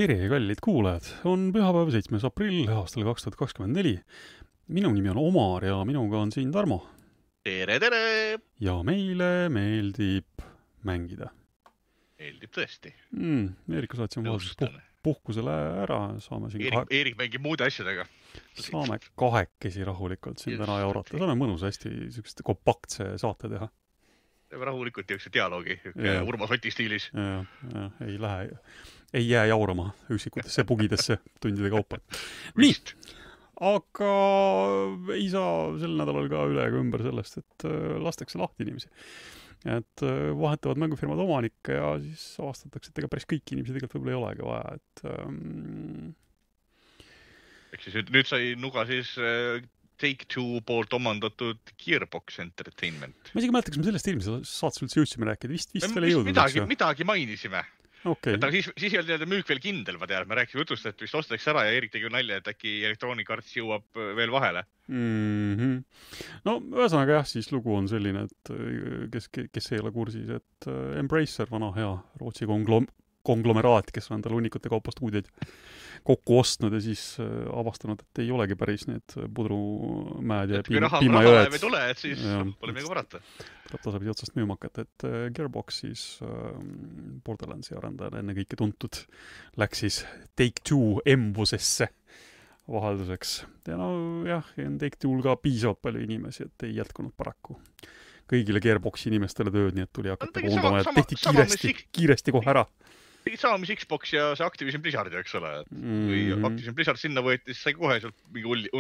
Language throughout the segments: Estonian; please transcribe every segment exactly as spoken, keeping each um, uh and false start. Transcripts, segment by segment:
Tere, kallid kuulajad! On pühapäev seitsmes aprill aastal kaks tuhat kakskümmend neli. Minu nimi on Omar ja minuga on siin Tarmo. Tere, tere! Ja meile meeldib mängida. Meeldib tõesti. Mm, Eerika saatsin vaheldus puh puhkusele ära. Saame siin Eerik, kahe... Eerik mängib muude asjadega. Saame kahekesi rahulikult siin täna jaurata. Saame mõnus hästi sükeste kompaktse saate teha. Teeme rahulikult jõukse dialoogi yeah. Urmas Oti stiilis. Ja, ja, ei lähe, ei jää jaurama üksikutesse pugidesse tundide kaupa. Nii, aga ei saa sel nädalal ka üle ega ümber sellest, et lastakse lahti inimesi. Et vahetavad mängufirmad omanikke ja siis avastatakse, et ega päris kõik inimesi tegelikult võib-olla ei olegi vaja. Et, um... Eks siis nüüd sai nuga siis Take-Two poolt omandatud Gearbox Entertainment. Ma isegi mäleta, kas me sellest eelmises saates üldse jõudsime rääkida. Vist, vist veel ei jõudnud. Midagi, midagi mainisime. Okay. Et, aga siis, siis ei olnud müük veel kindel, ma tean. Me rääkisime jutust, et vist ostetakse ära ja Erik tegi nalja, et äkki Electronic Arts jõuab veel vahele. Mm-hmm. No, ühesõnaga jah, siis lugu on selline, et kes, kes ei ole kursis, et Embracer, vana hea Rootsi konglom konglomeraat, kes on endal hunnikute kaupa stuudioid kokku ostnud ja siis avastanud, et ei olegi päris need pudrumäed ja piima, raha, piimajõed. Raha ei tule, et siis ja, pole midagi varata. Tuleb tasapidi otsast müüma hakata, et Gearbox siis Borderlandsi arendajal enne kõike tuntud läks siis Take-Two embusesse vahelduseks. Ja no jah, Take-Two'l ka piisavalt palju inimesi, et ei jätkunud paraku kõigile Gearboxi inimestele tööd, nii et tuli hakata koondama ja tehti kiiresti, kiiresti kohe ära. Tegi sama, mis Xbox ja see Activision Blizzard, eks ole. Kui mm-hmm. Activision Blizzard sinna võeti, siis sai kohe sealt mingi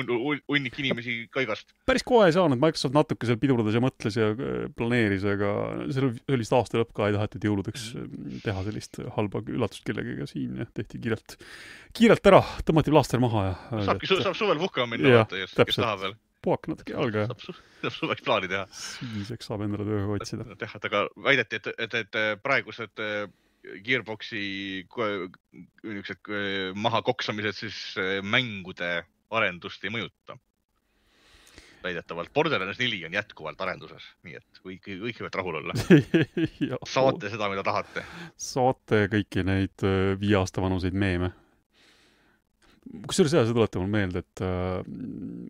unnik inimesi kaigast. Päris kohe ei saanud, Microsoft natuke seal pidurdas ja mõtles ja planeeris, aga see oli aasta lõpp ka ei tahetud jõuludeks teha sellist halba üllatust kellegiga siin ja tehti kiirelt, kiirelt ära, tõmmati plaaster maha ja... Saabki, et... saab suvel puhkama minna, ja, vaata, kes tahab veel. Puhak natuke jalga. Saab, su saab suveks plaani teha. Siiseks saab endale tööga otsida. Teha, aga väideti, et, et, et praegused Gearboxi maha koksamised siis mängude arendust ei mõjuta. Väidetavalt Borderlands neli on jätkuvalt arenduses, nii et kõik, kõik võivad rahul olla. Saate seda, mida tahate. Saate kõiki neid viie aasta vanuseid meeme. Kusjuures see tuletab mul meelde, et äh,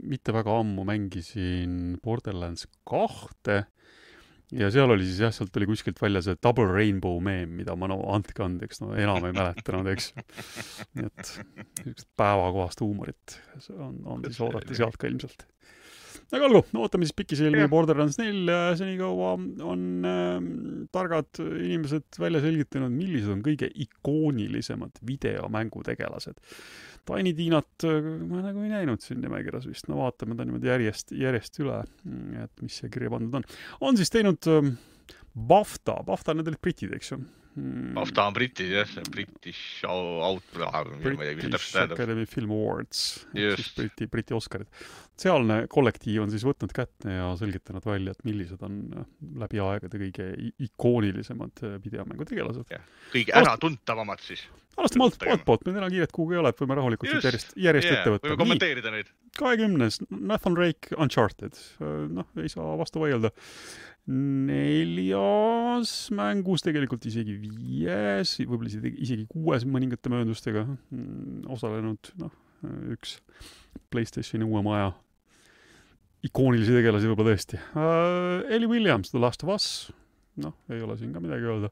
mitte väga ammu mängisin Borderlands kahte ja seal oli siis jah, sealt oli kuskilt välja see Double Rainbow meme, mida ma no andke andeks, no enam ei mäletanud, eks. Nii et päevakohast huumorit on, on siis oodata sealt ka ilmselt. Aga olgu, no ootame siis pikisilmi Borderlands neli ja senikaua on äh, targad inimesed välja selgitanud, millised on kõige ikoonilisemad videomängutegelased. Tiny Tinat ma nagu ei näinud siin nimekirjas vist. No vaatame ta niimoodi järjest, järjest üle, et mis see kirja pandud on. On siis teinud äh, BAFTA. BAFTA need olid britid, eks ju? Hmm. BAFTA on britid, jah. British Out... British Academy Film Awards. Siis Briti, Briti Oscarid. Sealne kollektiiv on siis võtnud kätte ja selgitanud välja, et millised on läbi aegade kõige ikoonilisemad videomängutegelased. Kõige äratuntavamad siis. Alastame alt, alt poolt, me täna kiiret kuhugi ei ole, et võime rahulikult just, järjest, järjest yeah, ette võtta. Võime kommenteerida neid. kahekümnes Nathan Drake Uncharted. Noh, ei saa vastu vaielda. Neljas mängus, tegelikult isegi viies, võib-olla isegi, isegi kuues mõningate mööndustega osalenud noh, üks PlayStationi uue maja ikoonilisi tegelasi võib-olla tõesti. Uh, Ellie Williams, The Last of Us. Noh, ei ole siin ka midagi öelda.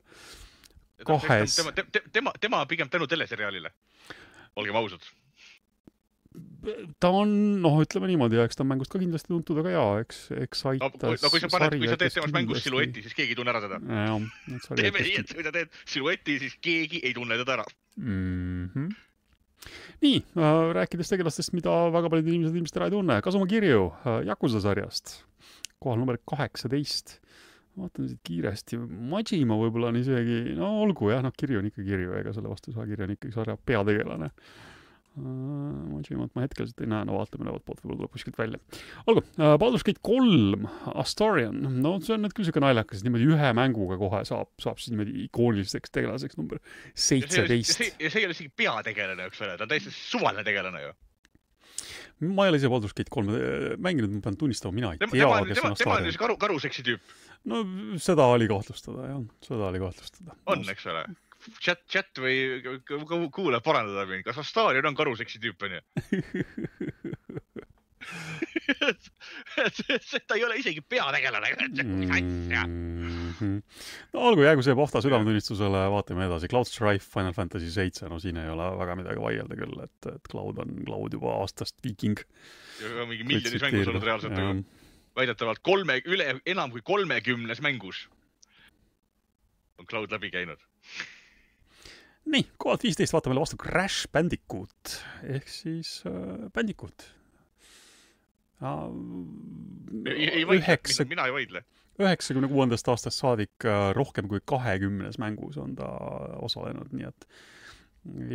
Kahes. Tema, tema, tema, tema pigem tänu teleseriaalile. Olgem ausad. Ta on, noh, ütleme niimoodi, ja eks ta on mängust ka kindlasti tuntud, aga jaa, eks, eks aitas no, no, kui sa paned, kui sa teed temast mängust silueti, siis keegi ei tunne ära teda. Ja, teeme nii, et kui ta teed silueti, siis keegi ei tunne teda ära. Mm-hmm. Nii, äh, rääkides tegelastest, mida väga paljud inimesed ilmselt ära ei tunne. Kasuma Kirju äh, Yakuza sarjast. Kohal number kaheksateist. Vaatan siit kiiresti. Majima võib-olla on isegi, no olgu jah, noh, Kirju on ikka Kirju, ega selle vastu saa Kirju on ikkagi sarja peategelane. Majimat ma hetkeliselt ei näe, no vaatame ülevalt poolt, võib-olla tuleb kuskilt välja. Olgu, Baldur's Gate kolm, Astarion, no see on nüüd küll siuke naljakas, niimoodi ühe mänguga kohe saab, saab siis niimoodi ikooniliseks tegelaseks number seitseteist. Ja see, ja see ei ole isegi peategelane, eks ole, ta on täiesti suvaline tegelane ju. Ma ei ole ise Baldur's Gate kolm mänginud, ma pean tunnistama, mina ei tea, tema, kes tema, on Astarion. Tema on karu, karuseksi tüüp. No seda oli kahtlustada, jah, seda oli kahtlustada. On, eks ole. chat, chat või kuule parandada mind, kas Astarion on karuseksi tüüp, on ju? ta ei ole isegi peategelane. Mm-hmm. No olgu, jäägu see Pohta südametunnistusele, vaatame edasi. Cloud Strife, Final Fantasy seitse, no siin ei ole väga midagi vaielda küll, et, et Cloud on Cloud juba aastast viiking. Ja mingi miljonis mängus olnud reaalselt. Väidetavalt kolme, üle, enam kui kolmekümnes mängus on Cloud läbi käinud. Nii, kohalt viisteist vaatame vastu Crash Bandicoot ehk siis äh, Bandicoot. Uh, ei, ei vaidle, üheksa, mina ei vaidle. üheksakümne kuuendast aastast saadik uh, rohkem kui kahekümnes mängus on ta osalenud, nii et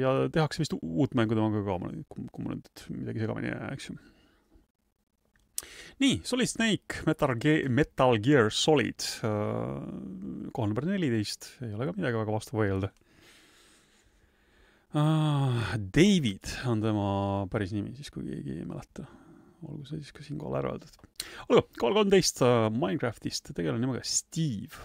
ja tehakse vist uut mängu temaga ka, kui mul nüüd midagi segamini jää, eks ju. Nii, Solid Snake, Metal Gear, Metal Gear Solid, uh, kohal number neliteist, ei ole ka midagi väga vastu võidelda. Uh, David on tema päris nimi, siis kui keegi ei mäleta. Olgu see siis ka siin kohal ära öeldud. Olgu, kohal kolmteist uh, Minecraftist tegelan nimega Steve.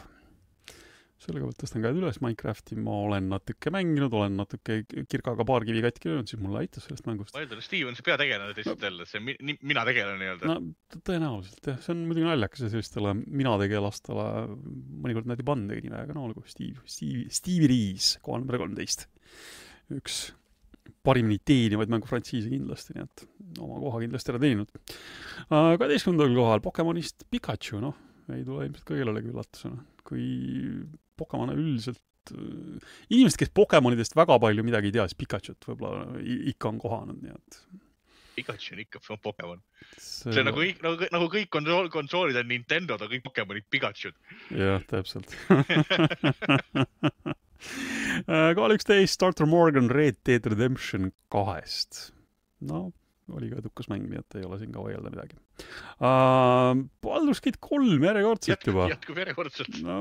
Sellega võt tõstan käed üles Minecrafti. Ma olen natuke mänginud, olen natuke kirkaga paar kivi katki löönud, siis mulle aitas sellest mängust. Ma eeldan, Steve on see peategelane teisest jälle, see mi mina tegelan nii-öelda. No tõenäoliselt, jah. See on muidugi naljakas ja sellistele mina tegelastele mõnikord näeti pandagi nime, aga no olgu, Steve, Steve, Stevie Rees, kohal number kolmteist. Üks parimini teenivaid mängufrantsiise kindlasti, nii et oma koha kindlasti ära teeninud. kaheteistkümnendal kohal Pokemonist Pikachu, noh, ei tule ilmselt ka kellelegi üllatusena. Kui Pokemon üldiselt, inimesed, kes Pokemonidest väga palju midagi ei tea, siis Pikachut võib-olla ikka on kohanud, nii et... Pikachu on ikka Pokemon. See, see nagu, nagu, nagu kõik konsool, konsoolid on Nintendo, ta kõik Pokemonid Pikachud. Jah, täpselt. Kohal üksteist Starter Morgan Red Dead Redemption kahest. No, oli ka edukas mäng, nii et ei ole siin ka vaielda midagi. Uh, Baldur's Gate kolm järjekordselt jätkub, juba. Jätkub järjekordselt. No,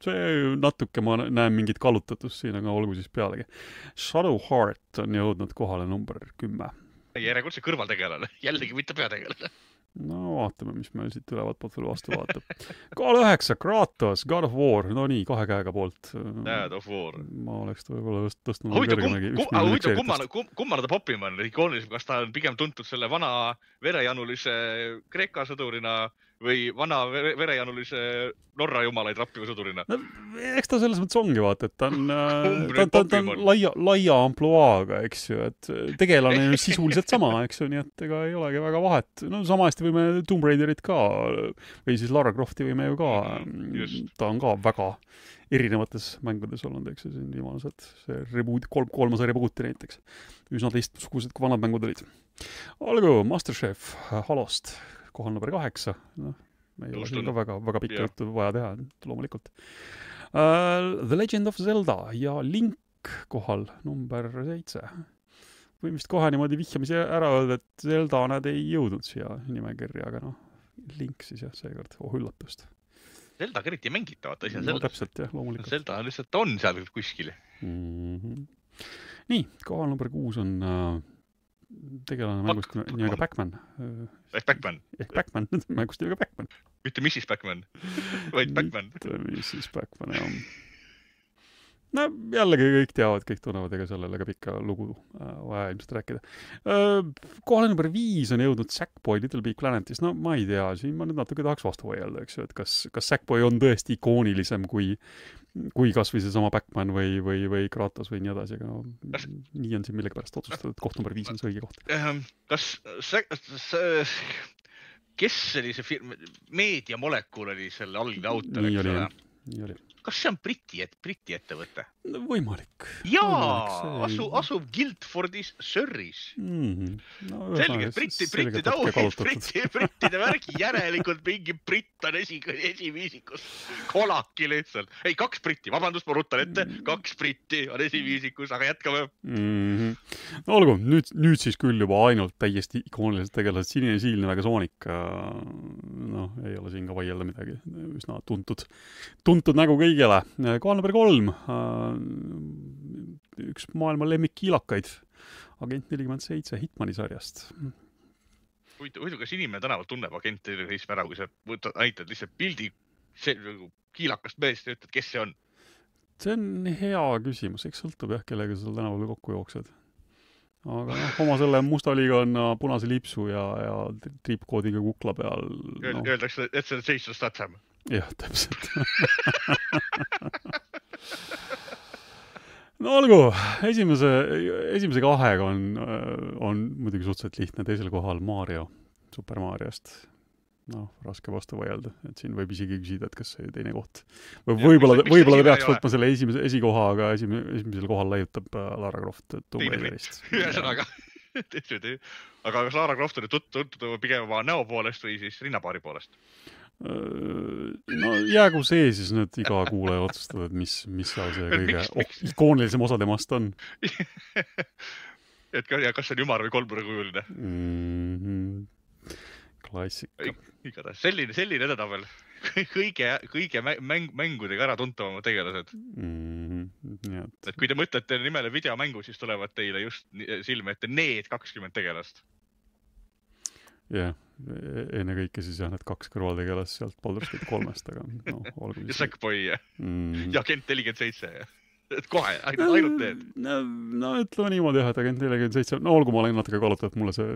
see natuke ma näen mingit kallutatust siin, aga olgu siis pealegi. Shadow Heart on jõudnud kohale number kümme. Järjekordse kõrvaltegelane, jällegi mitte peategelane. No vaatame, mis meil siit ülevalt poolt veel vastu vaatab. Kohal üheksa, Kratos, God of War, no nii, kahe käega poolt. God of War. Ma oleks võib-olla tõstnud kõrgemegi. Kummana ta popima on ikoonilisem, kas ta on pigem tuntud selle vana verejanulise Kreeka sõdurina või vana verejanulise Norra jumalaid rappiva sõdurina? No, eks ta selles mõttes ongi, vaata, et ta on, ta, ta, ta on laia, laia ampluaaga, eks ju, et tegelane on sisuliselt sama, eks ju, nii et ega ei olegi väga vahet. No sama hästi võime Tomb Raiderit ka, või siis Lara Crofti võime ju ka, just. Ta on ka väga erinevates mängudes olnud, eks ju, siin viimased, see reboot, kolm, kolmase rebooti näiteks. Üsna teistsugused, kui vanad mängud olid. Olgu, Masterchef Halost, kohal number kaheksa, noh, me ei ole siin ka väga, väga pikka juttu vaja teha, loomulikult. Uh, The Legend of Zelda ja Link kohal number seitse. Võin vist kohe niimoodi vihjamise ära öelda, et Zelda nad ei jõudnud siia nimekirja, aga noh, Link siis jah, seekord, oh üllatust. Zelda eriti ei mängita, vaata, isi on no, Zelda. Täpselt, jah, loomulikult. Zelda lihtsalt on seal kuskil. Mm-hmm. Nii, kohal number kuus on uh, tegelane mängust nimega Pac-Man. Ehk Pac-Man. Ehk Pac-Man, mängust nimega Pac-Man. Mitte missis Pac-Man, vaid Pac-Man. Mitte missis Pac-Man, jah. No jällegi kõik teavad, kõik tunnevad, ega sellele ka pikka lugu äh, vaja ilmselt rääkida. Äh, kohale number viis on jõudnud Sackboy Little Big Planetis. No ma ei tea, siin ma nüüd natuke tahaks vastu vaielda, eks ju, et kas, kas Sackboy on tõesti ikoonilisem kui, kui kas või see sama Pac-Man või, või, või Kratos või nii edasi, aga no, kas... nii on siin millegipärast otsustatud, et koht number viis on see õige koht. Kas see, see, kes oli see firm, Meediamolekul oli selle algne autor, nii oli, nii oli. Kas see on Briti, et, Briti ettevõte? No, võimalik. Jaa, asu, asub Guildfordis Surreys. Mm-hmm. No, selge, Briti, Brittide auhid, Britti, Brittide värgi järelikult mingi Britt on esi, esiviisikus. Kolaki lihtsalt. Ei, kaks Britti, vabandust, ma rutan ette, kaks Britti on esiviisikus, aga jätkame. Mm-hmm. No olgu, nüüd, nüüd siis küll juba ainult täiesti ikoonilised tegelased Sinine Siilne väga Sonic. Noh, ei ole siin ka vaielda midagi. Üsna tuntud, tuntud nägu kõigile. Kohal number kolm. Üks maailma lemmikkiilakaid. Agent nelikümmend seitse Hitmani sarjast. Huvitav, kas inimene tänavalt tunneb agent nelikümmend seitse ära, kui sa võtad, näitad lihtsalt pildi kiilakast meest ja ütled, kes see on? see on hea küsimus, eks sõltub jah, kellega sa tänaval kokku jooksed. Aga noh, oma selle musta liigana punase lipsu ja, ja triipkoodiga kukla peal. No. Öeldakse, et see on Jason Statham. Jah, täpselt. No olgu, esimese, esimese kahega on, on muidugi suhteliselt lihtne, teisel kohal Mario, Super Mariost. No, raske vastu vaielda, et siin võib isegi küsida, et kas see teine koht. Või võib-olla, võib-olla ta peaks võtma selle esimese, esikoha, aga esim, esimesel kohal leiutab Lara Croft Tomb Raiderist. Ühesõnaga, aga kas Lara Croft on tuntud pigem oma näo poolest või siis rinnapaari poolest? No jäägu see siis nüüd iga kuulaja otsustada, et mis, mis seal see kõige oh, ikoonilisem osa temast on. Et kas see on ümar või kolmnurgakujuline? Mm-hmm. Klassika. Igatahes. Selline, selline edetabel. Kõige, kõige mäng, mängudega ära tuntavama tegelased. Mm-hmm. Et kui te mõtlete nimele videomängu, siis tulevad teile just silme ette need kakskümmend tegelast. Jah, enne kõike siis jah, need kaks kõrvaltegelast sealt Baldur's Gate kolmest, aga no, olgu. Ja Sackboy ja, mm. ja Agent nelikümmend seitse ja. Et kohe, ainult need. No, no ütleme niimoodi jah, et Agent nelikümmend seitse, no olgu ma olen natuke kaluta, et mulle see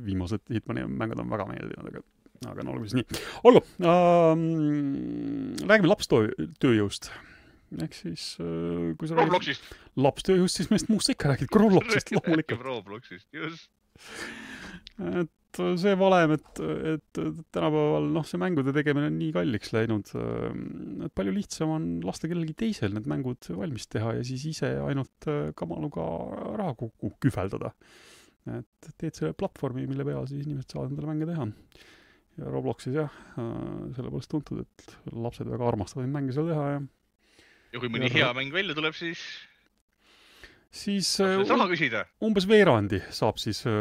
viimased Hitmani mängud on väga meeldinud, aga, aga no olgu siis nii. Olgu, ähm, räägime lapstööjõust. Ehk siis, äh, kui sa Robloxist. Lapstööjõust, siis meist muust ikka räägid, kui Robloxist loomulikult. Robloxist, just. Et see valem, et, et tänapäeval noh, see mängude tegemine on nii kalliks läinud, et palju lihtsam on lasta kellelgi teisel need mängud valmis teha ja siis ise ainult kamaluga raha kokku kühveldada. Et teed selle platvormi, mille peal siis inimesed saavad endale mänge teha. Ja Robloxis jah, sellepärast tuntud, et lapsed väga armastavad mänge seal teha. Ja, ja kui mõni ja hea mäng välja tuleb, siis... siis uh, umbes veerandi saab siis uh,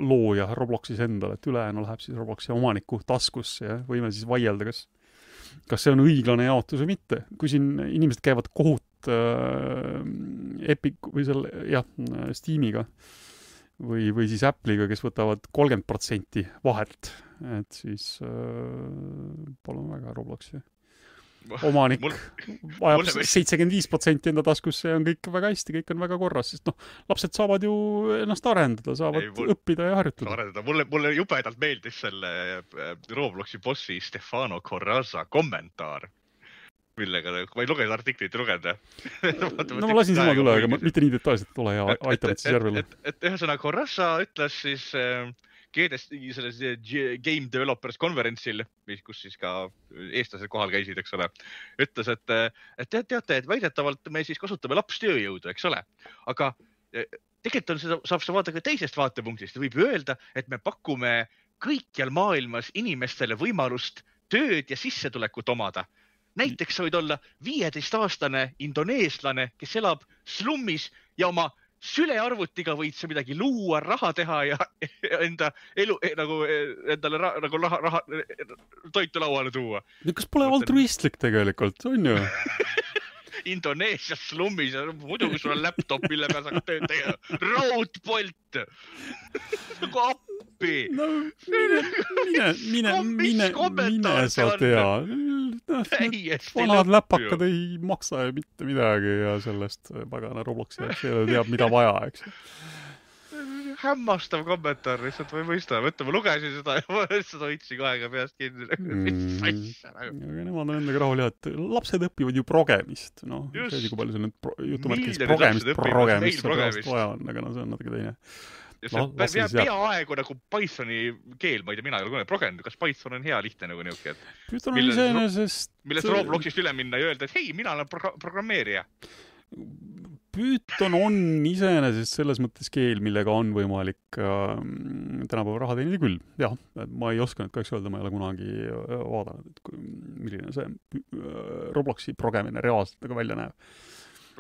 looja Robloxis endale, et ülejäänu läheb siis Robloxi omaniku taskusse ja võime siis vaielda, kas, kas see on õiglane jaotus või mitte. Kui siin inimesed käivad kohut uh, Epic või selle, jah, Steamiga või, või siis Apple'iga, kes võtavad kolmkümmend protsenti vahelt, et siis uh, palun väga Robloxi. Omanik mul, vajab seitsekümmend viis protsenti enda taskusse ja on kõik väga hästi, kõik on väga korras, sest noh, lapsed saavad ju ennast arendada, saavad ei, mul, õppida ja harjutada. Arendada. Mulle, mulle jubedalt meeldis selle Robloxi bossi Stefano Corrazza kommentaar, millega, ma ei lugenud artiklit ja lugeda. No ma lasin sama tule, aga mitte nii detailselt ole ja aitab, et siis järvele. Et, et, et ühesõnaga Corrazza ütles siis... Keedes selles Game Developers konverentsil, kus siis ka eestlased kohal käisid, eks ole, ütles, et, et te, teate, et väidetavalt me siis kasutame lapstööjõudu, eks ole, aga tegelikult on seda, saab seda vaadata ka teisest vaatepunktist. Võib öelda, et me pakume kõikjal maailmas inimestele võimalust tööd ja sissetulekut omada. Näiteks sa võid olla viieteistaastane indoneeslane, kes elab slummis ja oma sülearvutiga võid sa midagi luua, raha teha ja enda elu, nagu endale ra, nagu raha, raha, toitu lauale tuua. Kas pole altruistlik tegelikult, on ju? Indoneesias slummis ja muidugi sul on laptop, mille peal saab tööd tegema. Raudpolt! Nagu appi! No, mine, mine, mine, mine, mine sa tea. Vanad läpakad ei maksa ja mitte midagi ja sellest pagana Robloxi jaoks ei teab, mida vaja, eks. Hämmastav kommentaar, lihtsalt ma ei mõista. Võtta, ma lugesin seda ja ma lihtsalt hoidsin kahega peast kinni. Aga nemad on endaga rahul jah, et lapsed õpivad ju progemist. No, see kui palju see nüüd pro, jutumärkis progemist, progemist pärast vaja on, aga no see on natuke teine. Ja see on peaaegu nagu Pythoni keel, ma ei tea, mina ei ole kunagi progenud, kas Python on hea lihtne nagu niuke, et Python on iseenesest... millest Robloxist üle minna ja öelda, et hei, mina olen pro programmeerija. Python on iseenesest selles mõttes keel, millega on võimalik äh, tänapäeva raha teenida küll. Jah, ma ei oska nüüd kahjuks öelda, ma ei ole kunagi vaadanud, et kui, milline see Robloxi progemine reaalselt nagu välja näeb.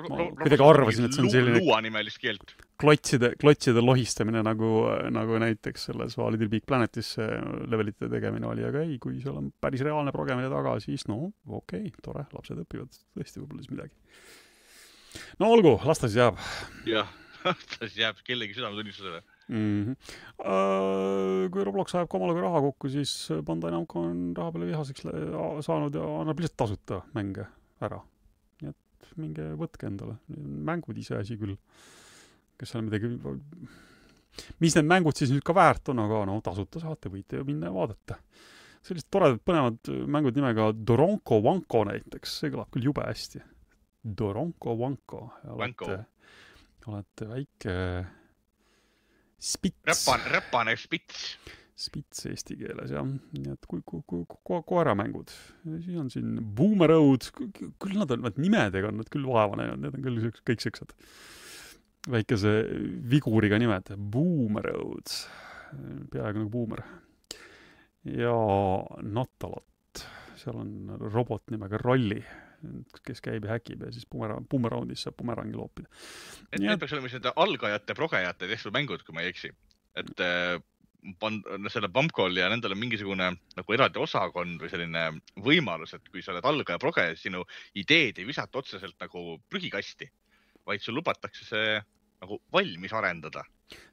Ma kuidagi arvasin, et see on selline luuanimelist keelt. Klotside, klotside lohistamine nagu, nagu näiteks selles Little Big Planetis levelite tegemine oli, aga ei, kui seal on päris reaalne progemine taga, siis no okei, okay, tore, lapsed õpivad tõesti võib-olla siis midagi. No olgu, las ta siis jääb. Jah, las ta siis jääb kellegi südametunnistusele. Mm-hmm. Uh, kui Roblox ajab kamaluga raha kokku, siis Bandai Namco on raha peale vihaseks saanud ja annab lihtsalt tasuta mänge ära. Nii et et minge võtke endale. Mängud ise asi küll. Kes seal midagi... Mis need mängud siis nüüd ka väärt on, aga no tasuta saate, võite ju minna ja vaadata. Sellised toredad põnevad mängud nimega Doronko Wanko näiteks, see kõlab küll jube hästi. Doronko Wanko. Olete, olete väike spits. Räpan, räpane spits. Spits eesti keeles, jah. Nii et kui, kui, kui, kui koeramängud. Siis on siin Boomerroad. Küll nad on, nimedega on nad küll vaeva näinud. Need on küll kõik siuksed väikese viguriga nimed. Boomerroad. Peaaegu nagu boomer. Ja Natalot. Seal on robot nimega Rolli, kes käib ja häkib ja siis boomerroundis saab boomerangi loopida. Et need peaks olema nende algajate, progejate tehtud mängud, kui ma ei eksi. Et Pan, selle Pumpcall ja nendel on mingisugune nagu eraldi osakond või selline võimalus, et kui sa oled algaja proge, sinu ideed ei visata otseselt nagu prügikasti, vaid sul lubatakse see nagu valmis arendada.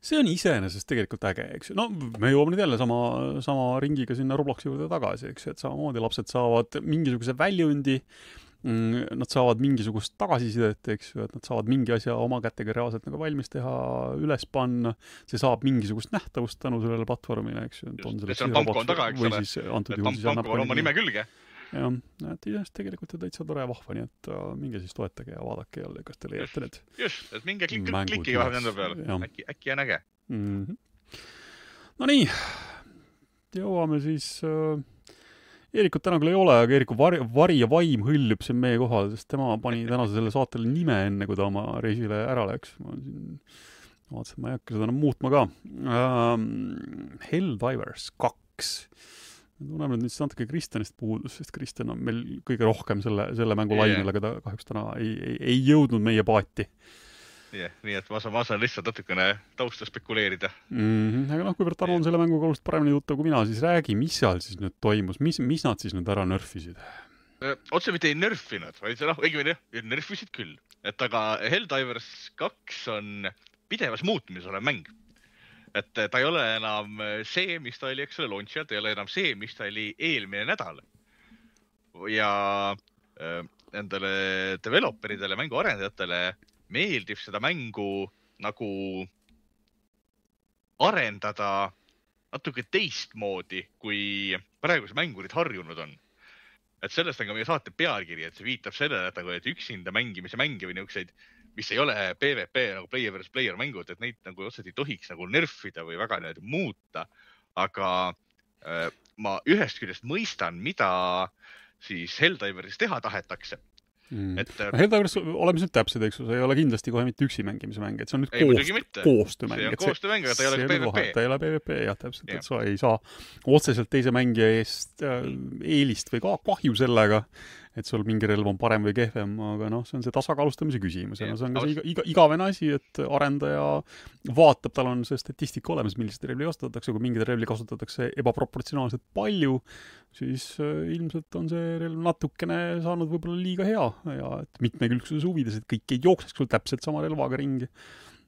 See on iseenesest tegelikult äge, eks. No me jõuame nüüd jälle sama, sama ringiga sinna Robloksi juurde tagasi, eks, et samamoodi lapsed saavad mingisuguse väljundi, nad saavad mingisugust tagasisidet, eks ju, et nad saavad mingi asja oma kätega reaalselt nagu valmis teha, üles panna, see saab mingisugust nähtavust tänu sellele platvormile, eks ju. Just, see on Pumpcall taga, eks ole, et Pumpcall on oma nime külge. jah, et iseenesest tegelikult on täitsa tore ja vahva, nii et uh, minge siis toetage ja vaadake jälle, kas te leiate need just, et minge klik, klikki vahe nende peale, äkki, äkki on äge. Mm-hmm. No nii, jõuame siis uh, Eerikut täna küll ei ole, aga Eeriku vari, vari ja vaim hõljub siin meie kohal, sest tema pani tänase selle saatele nime enne, kui ta oma reisile ära läks. Ma siin vaatasin, ma ei hakka seda enam muutma ka. Um, Helldivers kaks. Tunneme nüüd siis natuke Kristjanist puudus, sest Kristjan on meil kõige rohkem selle, selle mängu yeah. lainel, aga ta kahjuks täna ei, ei, ei jõudnud meie paati. Yeah, nii et ma saan, ma saan lihtsalt natukene tausta spekuleerida. Mm-hmm. Aga noh, kuivõrd Tarmo on selle mänguga oluliselt paremini tuttav kui mina, siis räägi, mis seal siis nüüd toimus, mis, mis nad siis nüüd ära nörfisid? Otse mitte ei nörfinud, vaid noh, õigemini nörfisid küll. Et aga Helldivers kaks on pidevas muutmises olev mäng. Et ta ei ole enam see, mis ta oli, eks ole, launch'il, ta ei ole enam see, mis ta oli eelmine nädal. Ja endale developeridele, mängu arendajatele meeldib seda mängu nagu arendada natuke teistmoodi, kui praegused mängurid harjunud on. Et sellest on ka meie saate pealkiri, et see viitab sellele, et, et üksinda mängimise mängi või niisuguseid, mis ei ole PvP nagu player versus player mängud, et neid nagu otseselt ei tohiks nagu nerfida või väga need muuta. Aga äh, ma ühest küljest mõistan, mida siis Helldiveris teha tahetakse. Mm. Et, Helldivers, oleme nüüd täpsed, eks, see ei ole kindlasti kohe mitte üksi mängimise mäng, et see on nüüd koost, koostöömäng. See on koostöömäng, aga ta ei ole PvP. Ta ei ole PvP, jah, täpselt, ja. Et sa ei saa otseselt teise mängija eest äh, eelist või ka kahju sellega, et sul mingi relv on parem või kehvem, aga noh, see on see tasakaalustamise küsimus. Ja no see on ka see iga, iga, igavene asi, et arendaja vaatab, tal on see statistika olemas, millised relvi kasutatakse, kui mingid relvi kasutatakse ebaproportsionaalselt palju, siis äh, ilmselt on see relv natukene saanud võib-olla liiga hea ja et mitmekülgsuse huvides, et kõik ei jookseks sul täpselt sama relvaga ringi.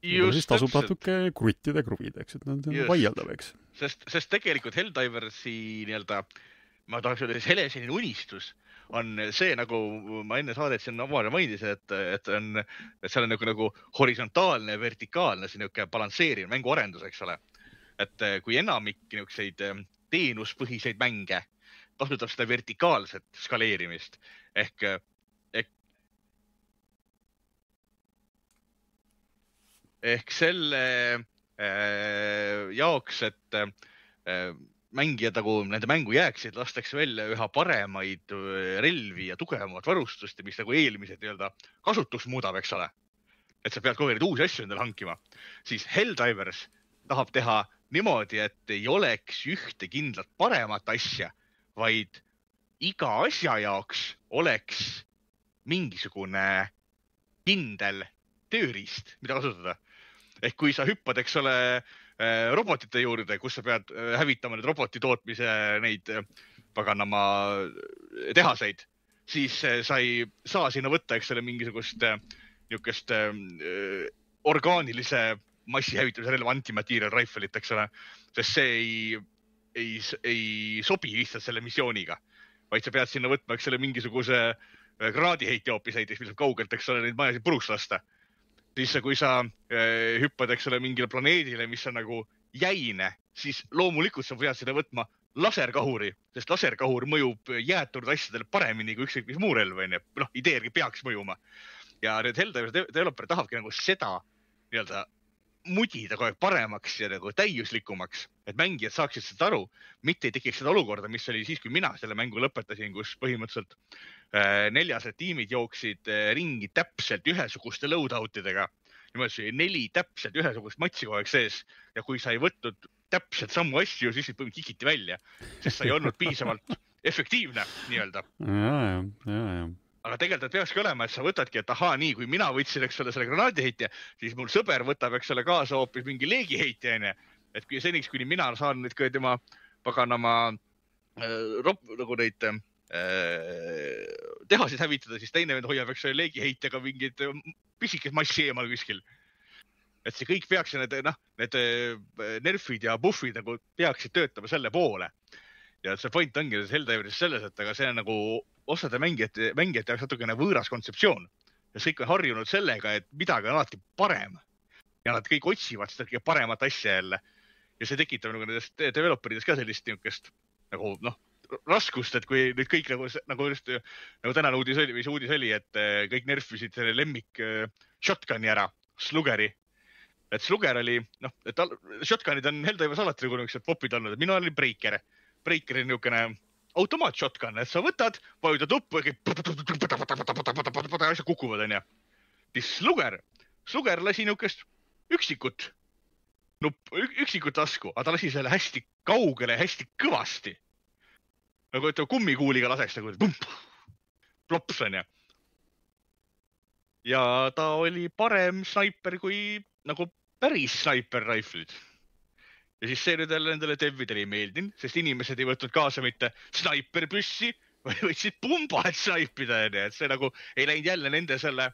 Just, siis tasub natuke kruttida ja kruvida, eks, et nad on vaieldav, eks. Sest, sest tegelikult Helldiversi nii-öelda, ma tahaks öelda, siis Heleseline unistus on see, nagu ma enne saadet siin omale mainis, et, et, on, et seal on nagu, nagu horisontaalne ja vertikaalne see niuke balansseeriv mänguarendus, eks ole. Et kui enamik niukseid teenuspõhiseid mänge kasutab seda vertikaalset skaleerimist ehk, ehk, ehk selle äh, jaoks, et äh, mängijad nagu nende mängu jääksid, lastakse välja üha paremaid relvi ja tugevamat varustust, mis nagu eelmised nii-öelda kasutuks muudab, eks ole. Et sa pead kogu aeg uusi asju endale hankima. Siis Helldivers tahab teha niimoodi, et ei oleks ühte kindlat paremat asja, vaid iga asja jaoks oleks mingisugune kindel tööriist, mida kasutada. Ehk kui sa hüppad, eks ole, robotite juurde, kus sa pead hävitama need roboti tootmise neid paganama tehaseid, siis sa ei saa sinna võtta, eks ole, mingisugust niukest orgaanilise massihävitamise relva antimaterial rifle'it, eks ole, sest see ei, ei, ei sobi lihtsalt selle missiooniga, vaid sa pead sinna võtma, eks ole, mingisuguse granaadiheitja hoopis näiteks, mis on kaugelt, eks ole, neid majasid puruks lasta. Siis kui sa äh, hüppad, eks ole, mingile planeedile, mis on nagu jäine, siis loomulikult sa pead seda võtma laserkahuri, sest laserkahur mõjub jäätunud asjadele paremini kui ükskõik mis muu relv, on ju. Noh, ideergi peaks mõjuma. Ja need Helldivers developer tahabki nagu seda nii-öelda mudida kogu aeg paremaks ja nagu täiuslikumaks, et mängijad saaksid seda aru, mitte ei tekiks seda olukorda, mis oli siis, kui mina selle mängu lõpetasin, kus põhimõtteliselt äh, neljased tiimid jooksid äh, ringi täpselt ühesuguste loadoutidega. Niimoodi see neli täpselt ühesugust matsi kogu aeg sees ja kui sa ei võtnud täpselt samu asju, siis põhimõtteliselt kikiti välja, sest sa ei olnud piisavalt efektiivne nii-öelda. Ja, ja, ja, ja. Aga tegelikult peakski olema, et sa võtadki, et ahaa, nii, kui mina võtsin, eks ole, selle granaadiheitja, siis mul sõber võtab, eks ole, kaasa hoopis mingi leegiheitja, enne. Et kui seniks, kuni mina saan nüüd ka tema paganama äh, rop, nagu neid äh, tehasid hävitada, siis teine vend hoiab, eks ole, leegiheitjaga mingid pisikest massi eemal kuskil. Et see kõik peaks ja need, noh, need nerfid ja buffid nagu peaksid töötama selle poole. Ja see point ongi Helldiveris selles, et aga see on nagu osade mängijate, mängijate jaoks natukene võõras kontseptsioon. Ja kõik on harjunud sellega, et midagi on alati parem. Ja nad kõik otsivad seda kõige paremat asja jälle. Ja see tekitab nagu nendest developerides ka sellist niukest nagu, noh, raskust, et kui nüüd kõik nagu, nagu, just, nagu tänane uudis oli, või see uudis oli, et kõik nerfisid selle lemmik shotguni ära, Slugeri. Et Sluger oli, noh, et shotgunid on Helldivers alati nagu niisugused popid olnud, et minu oli Breaker. Breaker on niisugune automaat shotgun, et sa võtad, vajutad uppu ja asja kukuvad, on ja. Siis Sluger, Sluger lasi niisugust üksikut, nupp, üksikut lasku, aga ta lasi selle hästi kaugele, hästi kõvasti. Nagu ütleb kummikuuliga laseks, nagu pump, plops, on ja. Ja ta oli parem snaiper kui nagu päris sniper rifle'id. Ja siis see nüüd nendele devidele ei meeldinud, sest inimesed ei võtnud kaasa mitte snaiperpüssi, või võtsid pumba, et snaipida, et see nagu ei läinud jälle nende selle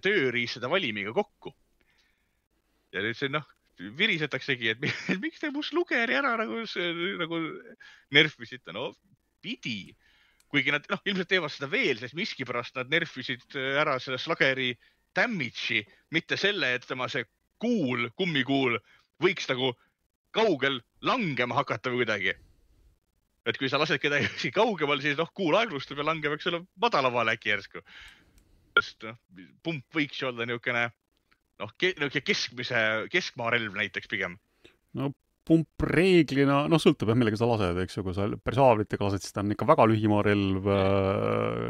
tööriistada valimiga kokku. Ja nüüd see, noh, virisetaksegi, et miks te mu Slugeri ära nagu, nagu nerfisite, no pidi. Kuigi nad, noh, ilmselt teevad seda veel, sest miskipärast nad nerfisid ära selle Slugeri damage'i, mitte selle, et tema see kuul, kummikuul võiks nagu kaugel langema hakata või kuidagi. Et kui sa lased kedagi kaugemal, siis noh, kuul aeglustub ja langeb, eks ole, madalavale äkki järsku. Sest noh, pump võiks ju olla niisugune, noh, keskmise, keskmaa relv näiteks pigem. No pump reeglina, noh, sõltub jah, millega sa lased, eks ju, kui sa persaavritega lased, siis ta on ikka väga lühimaa relv,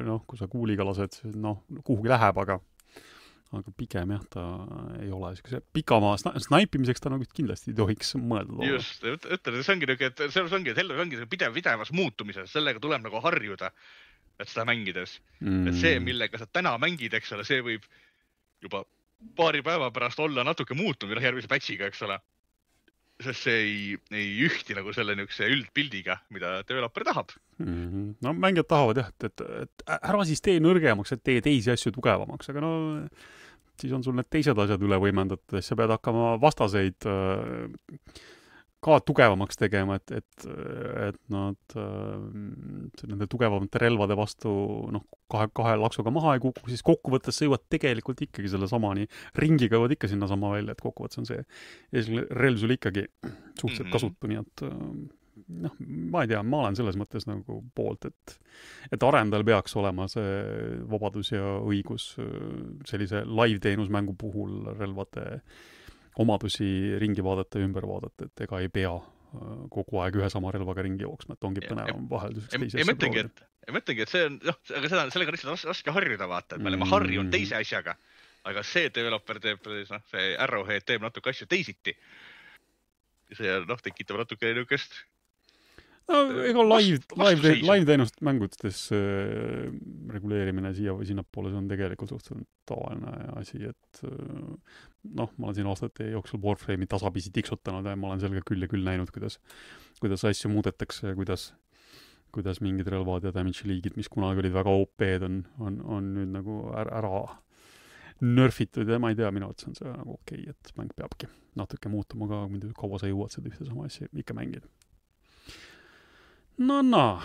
noh, kui sa kuuliga lased, siis noh, kuhugi läheb, aga aga pigem jah, ta ei ole niisuguse pikamaa snaipimiseks ta nagu kindlasti ei tohiks mõelda. Just, ütled, see ongi niisugune, et see ongi, et Helldiveris ongi pidev, pidevas muutumises, sellega tuleb nagu harjuda, et seda mängides. Mm. Et see, millega sa täna mängid, eks ole, see võib juba paari päeva pärast olla natuke muutunud järgmise patchiga, eks ole. Sest see ei, ei ühti nagu selle niisuguse üldpildiga, mida developer tahab. Mm-hmm. No mängijad tahavad jah, et, et, et ära siis tee nõrgemaks, et tee teisi asju tugevamaks, aga no siis on sul need teised asjad üle võimendatud, sa pead hakkama vastaseid ka tugevamaks tegema, et, et, et nad nende tugevamate relvade vastu noh, kahe, kahe laksuga maha ei kuku, siis kokkuvõttes sa jõuad tegelikult ikkagi selle samani, ringiga jõuad ikka sinna sama välja, et kokkuvõttes on see esimene relv sul ikkagi suhteliselt kasutu, nii et noh, ma ei tea, ma olen selles mõttes nagu poolt, et, et arendajal peaks olema see vabadus ja õigus sellise live-teenusmängu puhul relvade omadusi ringi vaadata ja ümber vaadata, et ega ei pea kogu aeg ühe sama relvaga ringi jooksma, et ongi põnevam vahel teise asja proovida. Ja mõtlengi, et see on, noh, aga seda, sellega on lihtsalt raske harjuda vaata, et me oleme harjunud teise asjaga, aga see developer teeb, noh, see Arrowhead teeb natuke asju teisiti. See, noh, tekitab natuke niukest no ega live, live, live teenust mängudes äh, reguleerimine siia või sinnapoole, see on tegelikult suhteliselt tavaline asi, et äh, noh, ma olen siin aastate jooksul Warframe'i tasapisi tiksutanud ja ma olen sellega küll ja küll näinud, kuidas, kuidas asju muudetakse ja kuidas, kuidas mingid relvad ja damage liigid, mis kunagi olid väga O P-d, on, on, on nüüd nagu ära, ära nerfitud ja ma ei tea, minu arvates on see nagu okei, et mäng peabki natuke muutuma ka, kaua sa jõuad seda ühte sama asja ikka mängida. No, no.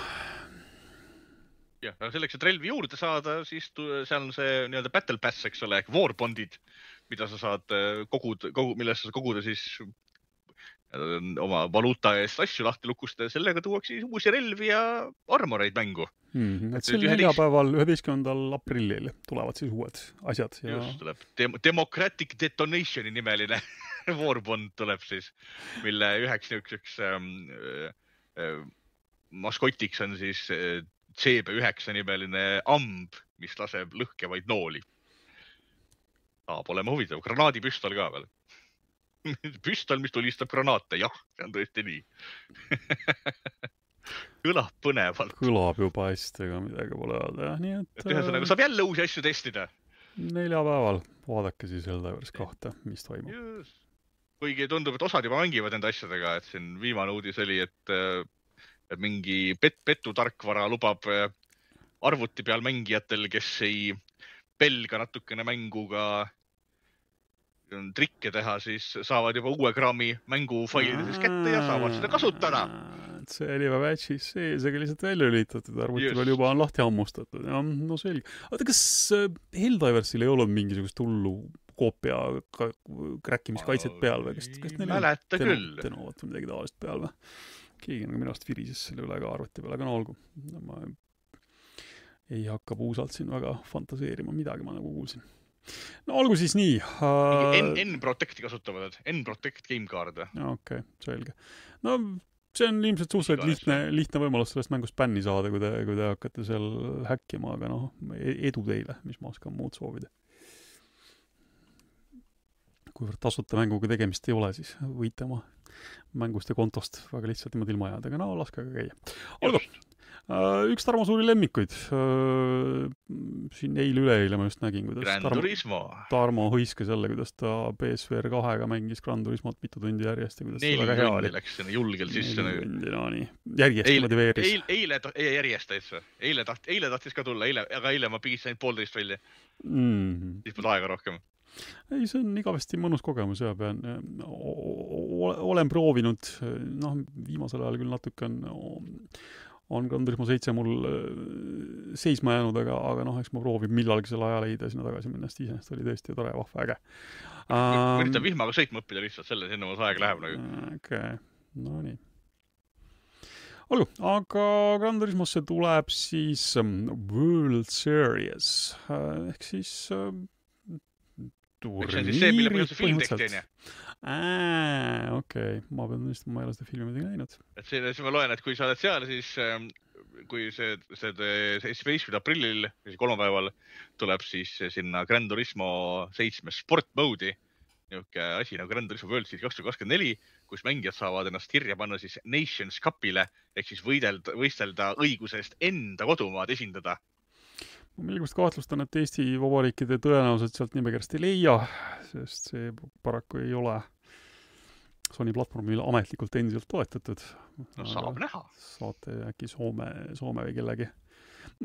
jah, aga selleks, et relvi juurde saada, siis tu, seal on see nii-öelda battle pass, eks ole, ehk warbondid, mida sa saad kogud, kogu, millest sa koguda siis oma valuuta eest asju lahti lukustada ja sellega tuuakse siis uusi relvi ja armoreid mängu. Mm, et sel neljapäeval üheteistkümnendal aprillil tulevad siis uued asjad. Ja... Just tuleb. Dem Democratic Detonationi nimeline Warbond tuleb siis, mille üheks niisuguseks ähm, äh, maskotiks on siis äh, C B üheksa nimeline amb, mis laseb lõhkevaid nooli. Saab olema huvitav. Granaadipüstol ka veel. Püstol, mis tulistab granaate. Jah, see on tõesti nii. Kõlab põnevalt. Kõlab juba hästi, aga midagi pole öelda. Nii et, et ühesõnaga saab jälle uusi asju testida. Neljapäeval vaadake siis Helldivers kahte, mis toimub. Just. Kuigi tundub, et osad juba mängivad enda asjadega, et siin viimane uudis oli, et, et mingi pet, petu tarkvara lubab arvuti peal mängijatel, kes ei pelga natukene mänguga trikke teha, siis saavad juba uue kraami mängufailides kätte ja saavad seda kasutada. See oli juba batch'is sees, aga lihtsalt välja lülitatud, arvuti peal juba on lahti hammustatud. Ja, no selge. Aga kas Helldiversil ei olnud mingisugust hullu koopia kräkkimiskaitset peal või? Kas, kas neil mäleta ten küll. Tenovat või midagi tavalist peal või? Keegi nagu minu arust virises selle üle ka arvuti peal, aga no olgu. Ma ei hakka puusalt siin väga fantaseerima, midagi ma nagu kuulsin. No olgu siis nii. Uh... N-Protecti kasutavad, N-Protect game card. Okei, okay, selge. No see on ilmselt suhteliselt lihtne, lihtne võimalus sellest mängust bänni saada, kui te, kui te hakkate seal häkkima, aga noh, edu teile, mis ma oskan muud soovida. Kuivõrd tasuta mänguga tegemist ei ole, siis võite oma mängust ja kontost väga lihtsalt niimoodi ilma jääda, aga no laske ka käia. Olgu! Üks Tarmo suuri lemmikuid. Siin eile-üleeile ma just nägin, kuidas Gran Tarmo, Turismo. Tarmo hõiskas jälle, kuidas ta P S V R kahega mängis Gran Turismot mitu tundi järjest. Ja Neli tundi oli. Läks sinna julgel sisse. Neli tundi, no nii. Järjest eile, motiveeris. Eile, eile, eile järjest täitsa. Eile, taht, eile tahtis ka tulla, eile, aga eile ma pigis sain poolteist välja. Mm. Siis pole aega rohkem. Ei, see on igavesti mõnus kogemus ja pean, olen proovinud, noh, viimasel ajal küll natuke on on Gran Turismo seitse mul seisma jäänud, aga, aga noh, eks ma proovin millalgi selle aja leida sinna tagasi minna, sest iseenesest oli tõesti tore, vahva äge. Ma üritan vihmaga sõitma õppida lihtsalt, selle sinna mul aeg läheb nagu. Okei, okay. No nii. Olgu, aga Gran Turismosse tuleb siis World Series, ehk siis turniiri see, mille põhjus see film tehti, on ju? Ää, okei. Okay. Ma pean tõesti, ma ei ole seda filmi midagi näinud. Et see, siis ma loen, et kui sa oled seal, siis kui see, see, see seitsmeteistkümnendal aprillil, kolmapäeval, tuleb siis sinna Gran Turismo seitsme sport mode'i, niuke asi nagu Gran Turismo World Series kaks tuhat kakskümmend neli, kus mängijad saavad ennast kirja panna siis Nations Cupile, ehk siis võidelda, võistelda õigusest enda kodumaad esindada. Ma millegust kahtlustan, et Eesti vabariikide tõenäoliselt sealt nimekirjast ei leia, sest see paraku ei ole Sony platvormil ametlikult endiselt toetatud. No saab näha. Saate äkki Soome, Soome või kellegi.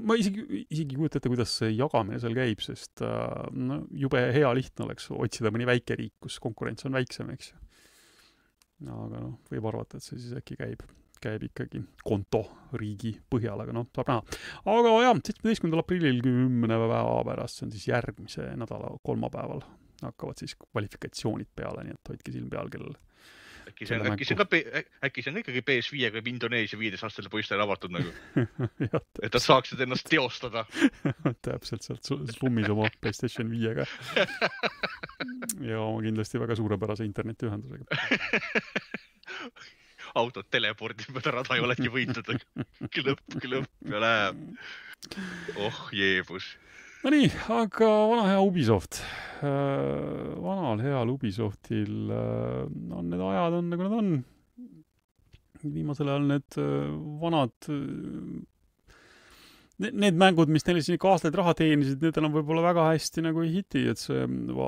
Ma isegi, isegi kujuta ette, kuidas see jagamine seal käib, sest no, jube hea lihtne oleks otsida mõni väike riik, kus konkurents on väiksem, eks. Aga no, võib arvata, et see siis äkki käib. käib ikkagi konto riigi põhjal, aga noh, saab näha. Aga jah, seitsmeteistkümnendal aprillil kümne päeva pärast, see on siis järgmise nädala kolmapäeval, hakkavad siis kvalifikatsioonid peale, nii et hoidke silm peal, kellel äkki see on, äkki see on ka, äkki see on ikkagi P S viiega või Indoneesia viieteist aastasele poistele avatud nagu. Et nad saaksid ennast teostada. Täpselt sealt slummis oma PlayStation viiega. Ja oma kindlasti väga suurepärase internetiühendusega. Autod telepordid mööda rada ei oledki võitud. Klõpp, klõpp ja läheb. Oh, jeebus. No nii, aga vana hea Ubisoft. Vanal heal Ubisoftil on need ajad on nagu nad on. Viimasel ajal need vanad need mängud, mis neile siin aastaid raha teenisid, need enam võib-olla väga hästi nagu ei hiti, et see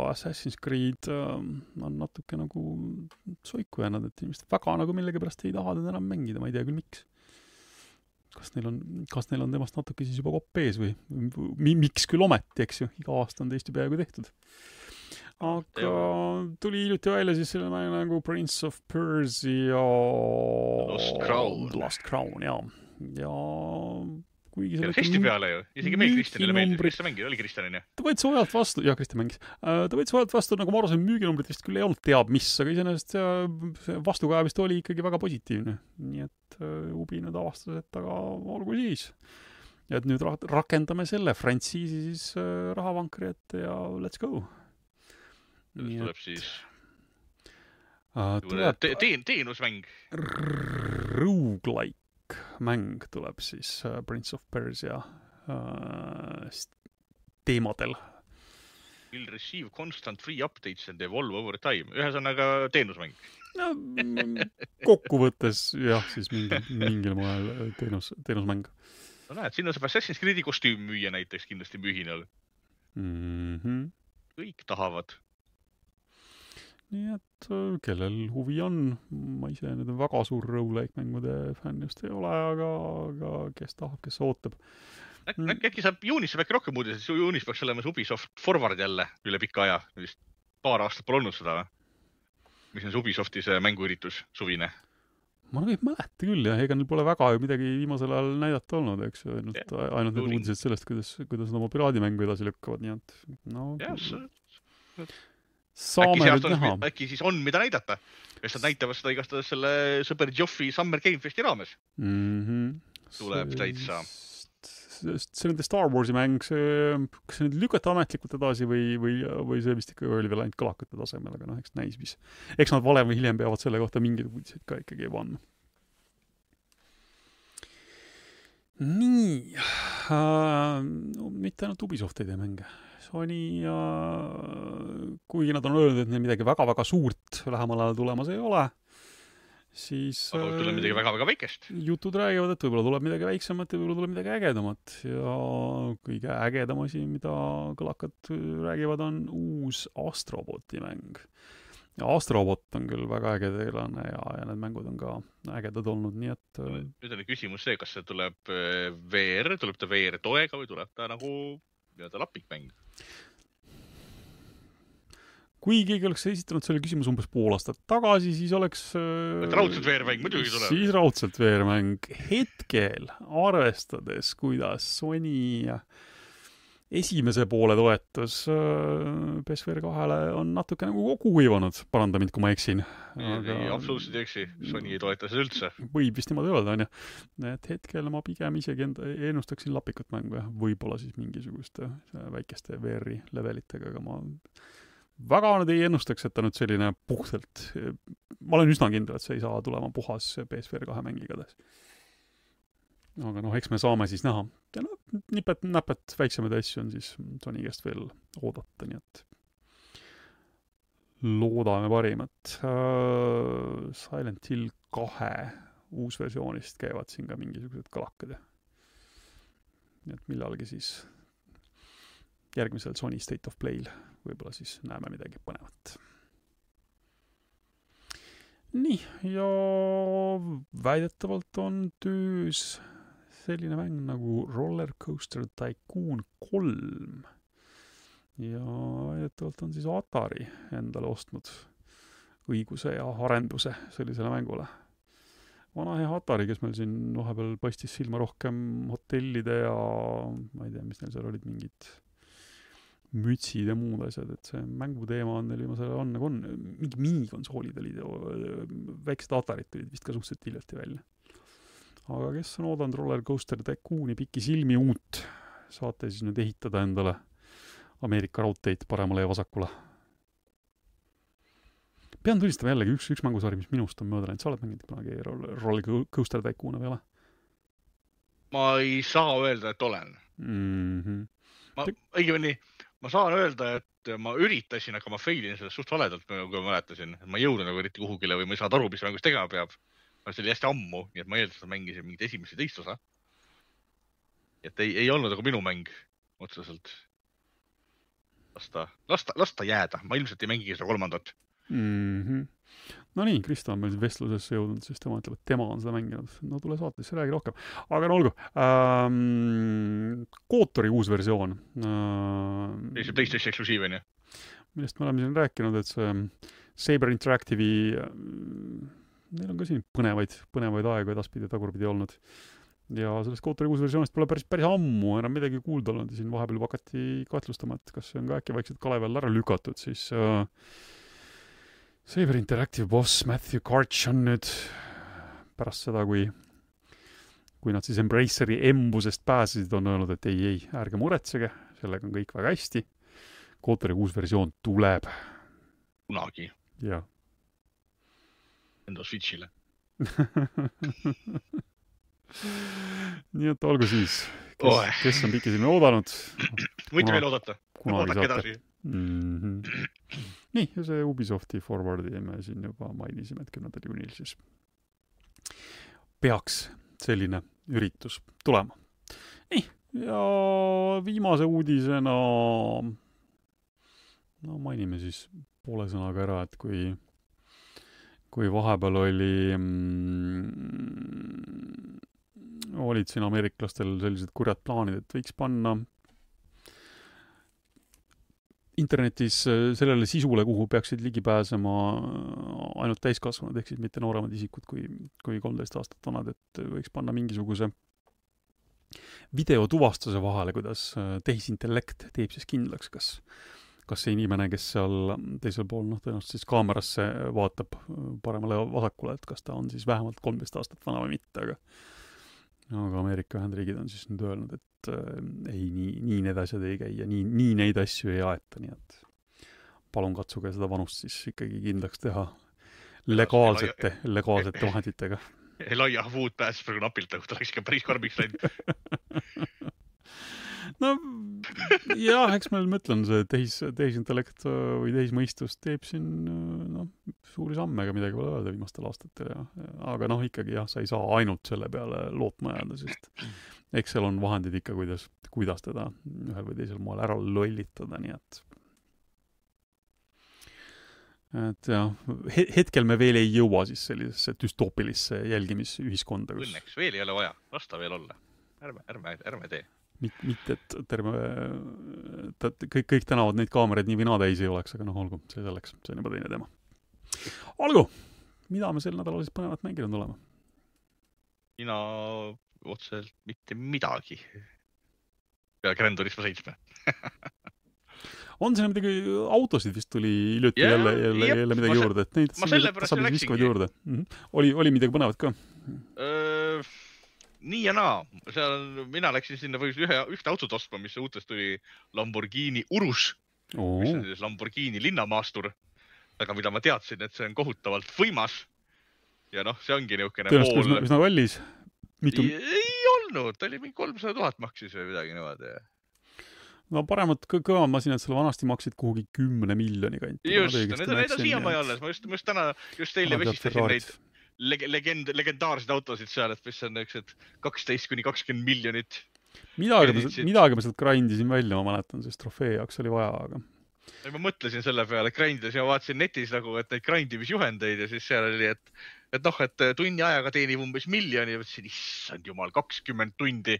Assassin's Creed on natuke nagu soiku jäänud, et inimesed väga nagu millegi pärast ei taha teda enam mängida, ma ei tea küll miks. Kas neil on, kas neil on temast natuke siis juba kopp ees või miks küll ometi, eks ju, iga aasta on teist ju peaaegu tehtud. Aga tuli hiljuti välja siis selle nagu Prince of Persia Lost Crown, Lost Crown, jaa. Ja kuigi see hästi peale ju, isegi meil Kristjanile meeldib, kes see mängib, oli Kristjanini? Ta võid sojalt vastu, jah, Kristjan mängis, ta võid sojalt vastu, nagu ma arvasin, müüginumbrit vist küll ei olnud teab mis, aga iseenesest see vastukaja vist oli ikkagi väga positiivne. Nii et Ubi nüüd avastas, et aga olgu siis. Ja et nüüd ra- rakendame selle frantsiisi siis rahavankri ette ja let's go. Nii tuleb et... siis uh, tuleb... Te- teen, teenusmäng. Roguelike mäng tuleb siis uh, Prince of Persia uh, teemadel. Will receive constant free updates and evolve over time. Ühesõnaga teenusmäng. No, kokkuvõttes jah, siis mingil, mingil moel teenus, teenusmäng. No näed, sinna saab Assassin's Creed'i kostüüm müüa näiteks kindlasti mühinal. Mm-hmm. Kõik tahavad. Nii et kellel huvi on, ma ise nüüd väga suur roguelike mängude fänn just ei ole, aga, aga kes tahab, kes ootab. Äk, äk, äkki saab juunis saab äkki rohkem uudis, et juunis peaks olema Ubisoft Forward jälle üle pika aja. Vist paar aastat pole olnud seda, mis on Ubisofti see mänguüritus suvine. Ma nagu ei mäleta küll ja ega neil pole väga ju midagi viimasel ajal näidata olnud, eks ju, ainult, yeah, ainult need uudised sellest, kuidas, kuidas nad oma piraadimängu edasi lükkavad, nii et no, yes. Saame nüüd näha. Äkki siis on mida näidata. Sest nad näitavad seda igastades selle Super Joffi Summer Game Festi raames. Mm-hmm. Tuleb see, täitsa. See nende Star Warsi mäng, see, kas see nüüd lükata ametlikult edasi või, või, või see vist ikka oli veel ainult kõlakute tasemel, aga noh, eks näis mis. Eks nad valem või hiljem peavad selle kohta mingid uudised ka ikkagi vanna. Nii. Uh, no, mitte ainult Ubisoft ei tee mänge. Sony ja kuigi nad on öelnud, et neil midagi väga-väga suurt lähemal ajal tulemas ei ole, siis aga tuleb midagi väga-väga väikest. Jutud räägivad, et võib-olla tuleb midagi väiksemat ja võib-olla tuleb midagi ägedamat. Ja kõige ägedam asi, mida kõlakad räägivad, on uus Astroboti mäng. Ja Astrobot on küll väga äge tegelane ja, ja need mängud on ka ägedad olnud, nii et... Nüüd on küsimus see, kas see tuleb V R, tuleb ta V R toega või tuleb ta nagu nii-öelda lapikmäng? Kui keegi oleks esitanud selle küsimus umbes pool aastat tagasi, siis oleks... Et raudselt V R-mäng muidugi tuleb. Siis raudselt V R-mäng. Hetkel, arvestades, kuidas Sony esimese poole toetus P S V R kahele on natuke nagu kokku kuivanud. Paranda mind, kui ma eksin. Aga... Ei, absoluutselt ei eksi. Sony ei toeta seda üldse. Võib vist niimoodi öelda, on ju. Et hetkel ma pigem isegi enda ennustaksin lapikut mängu. Võib-olla siis mingisuguste väikeste V R-i levelitega, aga ma... väga nüüd ei ennustaks, et ta nüüd selline puhtalt... Ma olen üsna kindel, et see ei saa tulema puhas P S V R kahe mängigades. Aga noh, eks me saame siis näha. Ja no, nipet, näpet väiksemaid asju on siis Sony käest veel oodata, nii et loodame parimat. Uh, Silent Hill kahe uus versioonist käivad siin ka mingisugused kalakad. Nii et millalgi siis järgmisel Sony State of Play'l võib-olla siis näeme midagi põnevat. Nii, ja väidetavalt on töös selline mäng nagu Roller Coaster Tycoon kolm. Ja väidetavalt on siis Atari endale ostnud õiguse ja arenduse sellisele mängule. Vana hea Atari, kes meil siin vahepeal paistis silma rohkem hotellide ja ma ei tea, mis neil seal olid mingid mütsid ja muud asjad, et see mänguteema on neil viimasel on nagu on. Mingi minikonsoolid olid, väiksed Atarid tulid vist ka suhteliselt hiljuti välja. Aga kes on oodanud Roller Coaster Tycooni pikki silmi uut, saate siis nüüd ehitada endale Ameerika raudteid paremale ja vasakule. Pean tunnistama jällegi üks, üks mängusari, mis minust on mööda läinud. Sa oled mänginud kunagi Roller Coaster Tycooni või ole? Ma ei saa öelda, et olen. Mm-hmm. Ma, õigemini, ma saan öelda, et ma üritasin, aga ma failin sellest suht valedalt, kui ma mäletasin. Ma ei jõudnud nagu eriti kuhugile või ma ei saanud aru, mis mängus tegema peab. See oli hästi ammu, nii et ma eeldus, et mängisin mingit esimest ja teist osa. Et ei, ei olnud nagu minu mäng otseselt. Lasta, lasta, lasta jääda. Ma ilmselt ei mängigi seda kolmandat. Mm-hmm. No nii, Krista on meil vestlusesse jõudnud, siis tema ütleb, et tema on seda mänginud. No tule saatesse, räägi rohkem. Aga no olgu. Ähm, Kootori uus versioon. Ähm, see PlayStation eksklusiiv, on ju? Millest me oleme siin rääkinud, et see Saber Interactive'i, neil on ka siin põnevaid, põnevaid aegu edaspidi tagurpidi olnud. ja sellest Kotori kuus versioonist pole päris, päris ammu enam midagi kuulda olnud ja siin vahepeal hakati kahtlustama, et kas see on ka äkki vaikselt kalevi all ära lükatud, siis äh, Saber Interactive boss Matthew Karch on nüüd pärast seda, kui kui nad siis Embraceri embusest pääsesid, on öelnud, et ei, ei, ärge muretsege, sellega on kõik väga hästi. Kotori kuus versioon tuleb. Kunagi. Jah. Enda Switchile. Nii et olgu siis, kes, kes on pikisilmi oodanud. Võite veel oodata. Oodake edasi. Mm-hmm. Nii, ja see Ubisofti forwardi me siin juba mainisime, et kümnendal juunil siis peaks selline üritus tulema. Nii, ja viimase uudisena no mainime siis poole sõnaga ära, et kui kui vahepeal oli mm, olid siin ameeriklastel sellised kurjad plaanid, et võiks panna internetis sellele sisule, kuhu peaksid ligi pääsema ainult täiskasvanud, ehk siis mitte nooremad isikud kui, kui kolmteist aastat vanad, et võiks panna mingisuguse videotuvastuse vahele, kuidas tehisintellekt teeb siis kindlaks, kas kas see inimene, kes seal teisel pool, noh, tõenäoliselt siis kaamerasse vaatab paremale vasakule, et kas ta on siis vähemalt kolmteist aastat vana või mitte, aga aga Ameerika Ühendriigid on siis nüüd öelnud, et äh, ei, nii, nii need asjad ei käi ja nii, nii neid asju ei aeta, nii et palun katsuge seda vanust siis ikkagi kindlaks teha legaalsete, legaalsete vahenditega. Elijah Wood pääses praegu napilt, ta oleks ikka päris karmiks läinud. No jah, eks meil mõtlen see tehis, tehisintellekt või tehismõistus teeb siin no, suuri samme, ega midagi pole öelda viimastel aastatel. Ja, aga noh, ikkagi jah, sa ei saa ainult selle peale lootma jääda, sest eks seal on vahendid ikka, kuidas, kuidas teda ühel või teisel moel ära lollitada, nii et et jah, hetkel me veel ei jõua siis sellisesse düstoopilisse jälgimisühiskonda. Kus... Õnneks veel ei ole vaja, lasta veel olla. Ärme, ärme, ärme tee. Mitte, et terve, kõik, kõik tänavad neid kaameraid nii või naa täis ei oleks, aga noh, olgu, see selleks, see on juba teine teema. Olgu, mida me sel nädalal siis põnevat mänginud olema? Mina otseselt mitte midagi. Peale Gran Turismo seitsme. On siin midagi, autosid vist tuli hiljuti yeah, jälle, jälle, jälle midagi ma juurde, et neid saab viskavad juurde. Mm-hmm. Oli, oli midagi põnevat ka? Öö... Nii ja naa, seal mina läksin sinna või ühe, ühte autot ostma, mis uutest tuli Lamborghini Urus, oh. mis on siis Lamborghini linnamaastur, aga mida ma teadsin, et see on kohutavalt võimas ja noh, see ongi niisugune pool... Tõenäoliselt üsna kallis? Mitu... Ei, ei olnud, ta oli mingi kolmsada tuhat maksis või midagi niimoodi. No paremat kõva masinad selle vanasti maksid kuhugi kümne miljoni kanti. Just, need on, need on siiamaani alles, ma just, ma just täna, just teile vesistasin neid legend, legendaarseid autosid seal, et mis on niisugused kaksteist kuni kakskümmend miljonit. Midagi ma, midagi ma sealt grindisin välja, ma mäletan, sest trofee jaoks oli vaja, aga... Ja ma mõtlesin selle peale grindides ja vaatasin netis nagu, et neid grindimisjuhendeid ja siis seal oli, et, et noh, et tunni ajaga teenib umbes miljoni ja mõtlesin, issand jumal, kakskümmend tundi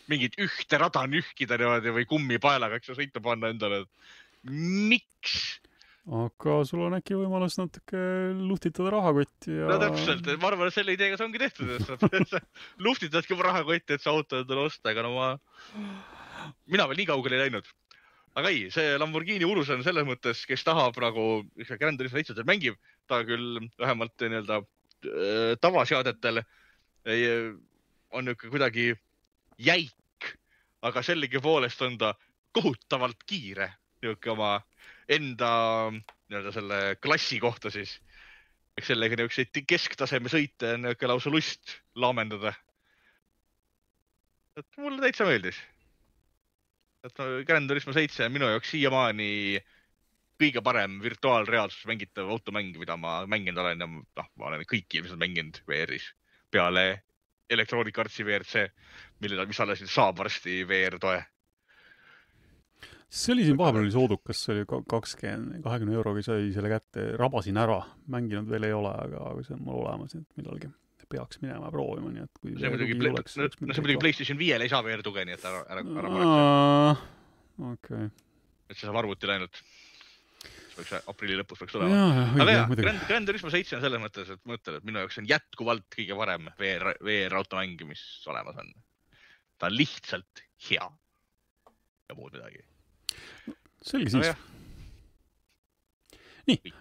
mingit ühte rada nühkida niimoodi või kummipaelaga, eks sa sõita panna endale. Miks? Aga sul on äkki võimalus natuke luhtitada rahakotti ja... No täpselt, ma arvan, et selle ideega see ongi tehtud, et sa luhtitadki oma rahakotti, et sa auto endale osta, aga no ma... Mina veel nii kaugele ei läinud. Aga ei, see Lamborghini Urus on selles mõttes, kes tahab nagu Gran Turismo seitse mängib, ta küll vähemalt nii-öelda tavaseadetel on niisugune kuidagi jäik, aga sellegi poolest on ta kohutavalt kiire niisugune oma enda nii-öelda selle klassi kohta siis. Eks sellega niisugune kesktaseme sõite on niisugune lausa lust laamendada. Et mulle täitsa meeldis. Et Gran Turismo seitse on minu jaoks siiamaani kõige parem virtuaalreaalsus mängitav automäng, mida ma mänginud olen ja noh, ma olen kõiki ilmselt mänginud V R-is peale Electronic Artsi V R C, millele, mis alles saab varsti V R-toe. See oli siin vahepeal oli soodukas, see oli kakskümmend, kahekümne euroga sai selle kätte, rabasin ära, mänginud veel ei ole, aga see on mul olemas, et millalgi peaks minema proovima, nii et kui see muidugi play, oleks, no, no see muidugi PlayStation viiel ei saa V R-tuge, nii et ära, ära, ära maretse. Okei. Et see saab arvuti läinud. peaks, aprilli lõpus peaks tulema. Aga jah, Grand, Grand Turismo seitse on selles mõttes, et ma ütlen, et minu jaoks on jätkuvalt kõige varem V R, V R automängi, mis olemas on. Ta on lihtsalt hea. Ja muud midagi. Selge siis. Nii,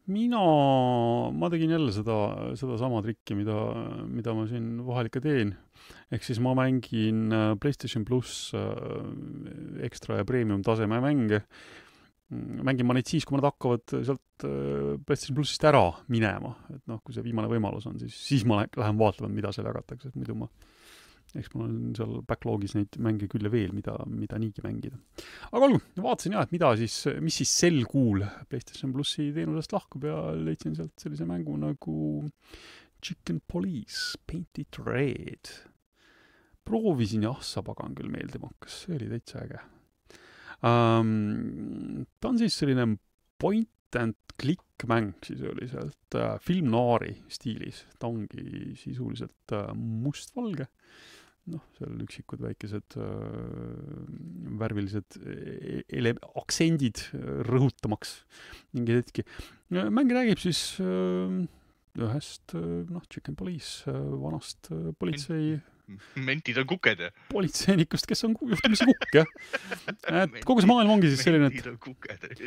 mina, ma tegin jälle seda, seda sama trikki, mida, mida ma siin vahel ikka teen. Ehk siis ma mängin PlayStation Plus ekstra ja premium taseme mänge. Mängin ma neid siis, kui ma nad hakkavad sealt PlayStation Plusist ära minema. Et noh, kui see viimane võimalus on, siis, siis ma lähen vaatama, mida seal jagatakse. Et muidu ma, eks mul on seal backlogis neid mänge küll ja veel, mida, mida niigi mängida. Aga olgu, vaatasin jah, et mida siis, mis siis sel kuul PlayStation Plusi teenusest lahkub ja leidsin sealt sellise mängu nagu Chicken Police Painted Red. Proovisin ja ahsa pagan küll meeldima hakkas, see oli täitsa äge. Um, ta on siis selline point and click mäng, siis oli sealt uh, film noiri stiilis. Ta ongi sisuliselt uh, mustvalge. Noh, seal üksikud väikesed uh, värvilised ele- aktsendid rõhutamaks mingi hetki. Mäng räägib siis uh, ühest uh, noh, Chicken Police uh, vanast uh, politsei Mentid on kuked, ja? Politseinikust, kes on juhtumisi kukk, jah. Et kogu see maailm ongi siis selline, et,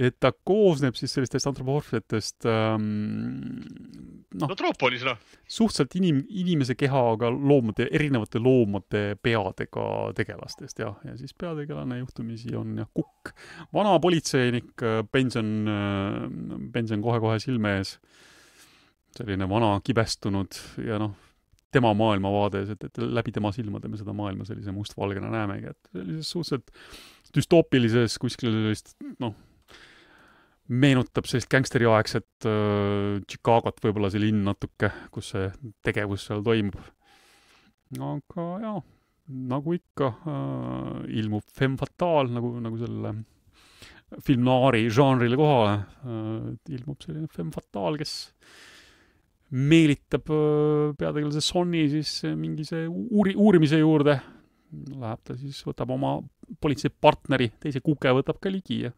et ta koosneb siis sellistest antropomorfsetest ähm, noh, no troopolis, noh. Suhteliselt inim, inimese kehaga loomade, erinevate loomade peadega tegelastest, jah. Ja siis peategelane juhtumisi on jah, kukk. Vana politseinik, pension, pension kohe-kohe silme ees. Selline vana kibestunud ja noh, tema maailmavaades, et, et läbi tema silmade me seda maailma sellise mustvalgena näemegi, et sellises suhteliselt düstoopilises kuskil sellist, noh, meenutab sellist gangsteri-aegset äh, Chicagot võib-olla see linn natuke, kus see tegevus seal toimub. Aga jah, nagu ikka äh, ilmub femme fatale, nagu, nagu selle film noiri žanrile kohale, äh, ilmub selline femme fatale, kes meelitab peategelase Sonny siis mingi see uuri, uurimise juurde. Läheb ta siis, võtab oma politsei partneri, teise kuke võtab ka ligi ja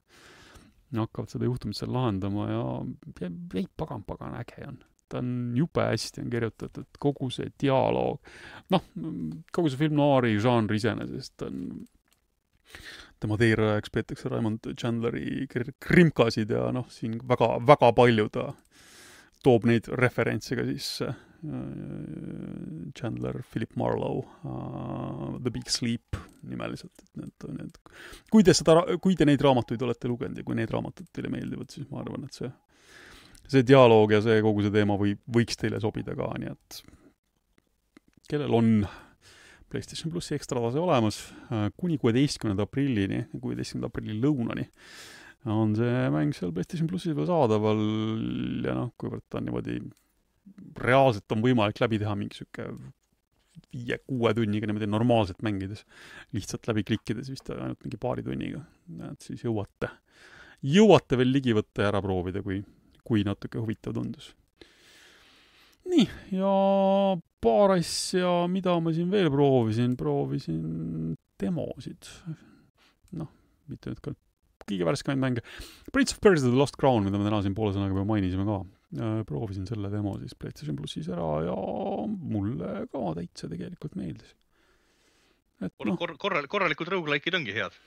hakkavad seda juhtumit seal lahendama ja, ja ei pagan, pagan äge on. Ta on jube hästi on kirjutatud, kogu see dialoog. Noh, kogu see film noiri žanr iseenesest on tema teerajaks peetakse Raymond Chandleri krimkasid ja noh, siin väga, väga palju ta toob neid referentsiga siis uh, Chandler, Philip Marlowe, uh, The Big Sleep nimeliselt. Need, need. Kui, te seda, kui te neid raamatuid olete lugenud ja kui neid raamatud teile meeldivad, siis ma arvan, et see, see dialoog ja see kogu see teema või, võiks teile sobida ka, nii et kellel on PlayStation Plusi ekstratase olemas uh, kuni kuueteistkümnenda aprillini, kuueteistkümnenda aprilli lõunani on see mäng seal PlayStation Plusis veel saadaval ja noh, kuivõrd ta on niimoodi reaalselt on võimalik läbi teha mingi süke viie, kuue tunniga niimoodi normaalselt mängides, lihtsalt läbi klikkides vist ainult mingi paari tunniga, et siis jõuate, jõuate veel ligi võtta ja ära proovida, kui, kui natuke huvitav tundus. Nii, ja paar asja, mida ma siin veel proovisin, proovisin demosid. Noh, mitte nüüd ka kõige värskemaid mänge. Prince of Persia The Lost Crown, mida me täna siin poole sõnaga juba mainisime ka. Proovisin selle demo siis PlayStation Plusis ära ja mulle ka täitsa tegelikult meeldis. Et, no, kor- korral, korralikud roguelike'id ongi head.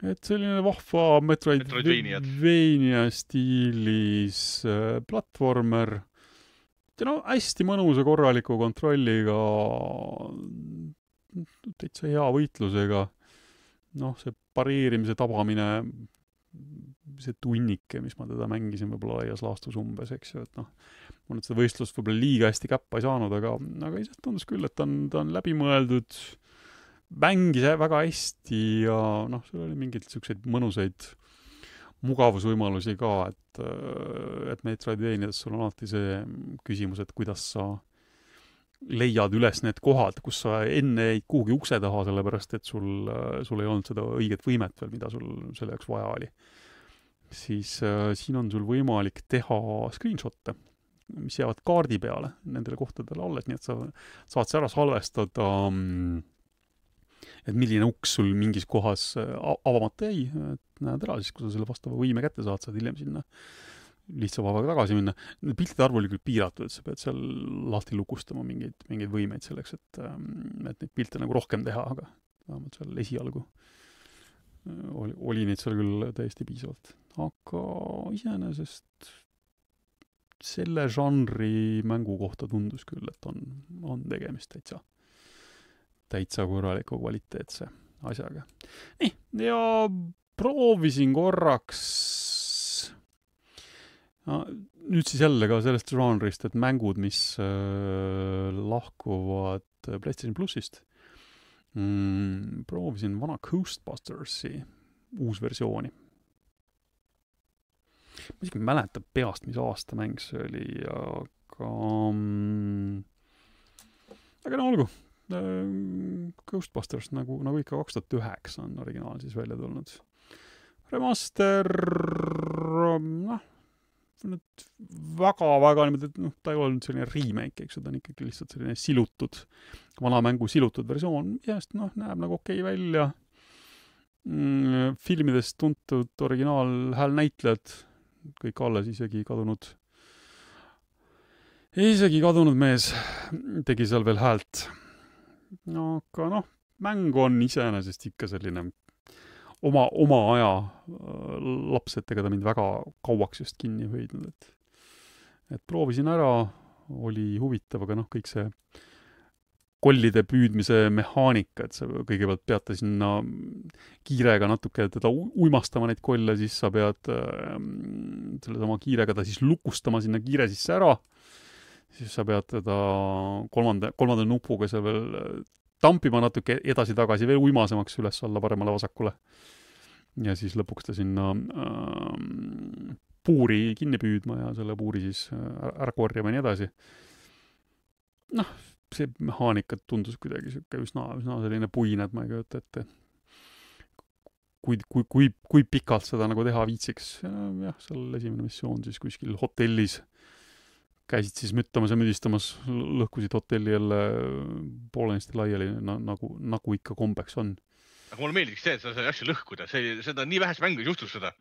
Et selline vahva Metroidvania stiilis äh, platvormer. Ja no hästi mõnusa korraliku kontrolliga, täitsa hea võitlusega. Noh, see pareerimise tabamine, see tunnike, mis ma teda mängisin võib-olla laias laastus umbes, eks ju, et noh, ma nüüd seda võistlust võib-olla liiga hästi käppa ei saanud, aga, aga ise tundus küll, et ta on, ta on läbimõeldud, mängis väga hästi ja noh, seal oli mingid selliseid mõnusaid mugavusvõimalusi ka, et, et Metroidvaniades sul on alati see küsimus, et kuidas sa leiad üles need kohad, kus sa enne ei kuhugi ukse taha, sellepärast, et sul, sul ei olnud seda õiget võimet veel, mida sul selle jaoks vaja oli. Siis äh, siin on sul võimalik teha screenshotte, mis jäävad kaardi peale nendele kohtadele alles, nii et sa saad see ära salvestada. et milline uks sul mingis kohas avamata jäi, et näed ära siis, kui sa selle vastava võime kätte saad, saad hiljem sinna lihtsa vabaga tagasi minna. Piltide arv oli küll piiratud, et sa pead seal lahti lukustama mingeid, mingeid võimeid selleks, et, et neid pilte nagu rohkem teha, aga vähemalt seal esialgu oli, oli neid seal küll täiesti piisavalt. Aga iseenesest selle žanri mängu kohta tundus küll, et on, on tegemist täitsa, täitsa korraliku kvaliteetse asjaga. Nii, ja proovisin korraks no, nüüd siis jälle ka sellest žanrist, et mängud, mis äh, lahkuvad PlayStation Plusist. Mm, proovisin vana Ghostbustersi uus versiooni. Ma isegi mäletan peast, mis aasta mäng see oli, aga mm, aga no olgu. Ghostbusters nagu, nagu ikka kaks tuhat üheksa on originaal siis välja tulnud. Remaster, noh, nüüd väga-väga niimoodi, et noh, ta ei olnud selline remake, eks, ta on ikkagi lihtsalt selline silutud, vana mängu silutud versioon, jääst, noh, näeb nagu okei välja. Mm, filmidest tuntud originaal häälnäitlejad, kõik alles isegi kadunud, isegi kadunud mees tegi seal veel häält. No, aga noh, mäng on iseenesest ikka selline oma, oma aja laps, et ega ta mind väga kauaks just kinni hoidnud, et, et proovisin ära, oli huvitav, aga noh, kõik see kollide püüdmise mehaanika, et sa kõigepealt pead sinna kiirega natuke teda uimastama neid kolle, siis sa pead äh, selle sama kiirega ta siis lukustama sinna kiire sisse ära, siis sa pead teda kolmanda, kolmanda nupuga seal veel tampima natuke edasi-tagasi veel uimasemaks üles alla paremale vasakule. Ja siis lõpuks ta sinna äh, puuri kinni püüdma ja selle puuri siis ära korjama ja nii edasi. Noh, see mehaanika tundus kuidagi siuke üsna, üsna selline puine, et ma ei kujuta ette. Kui, kui, kui, kui pikalt seda nagu teha viitsiks. Jah, seal esimene missioon siis kuskil hotellis käisid siis müttamas ja müdistamas, lõhkusid hotelli jälle poolenisti laiali, na, nagu, nagu ikka kombeks on. Aga mulle meeldiks see, et sa sai asju lõhkuda. See, seda nii vähes mängus juhtus seda,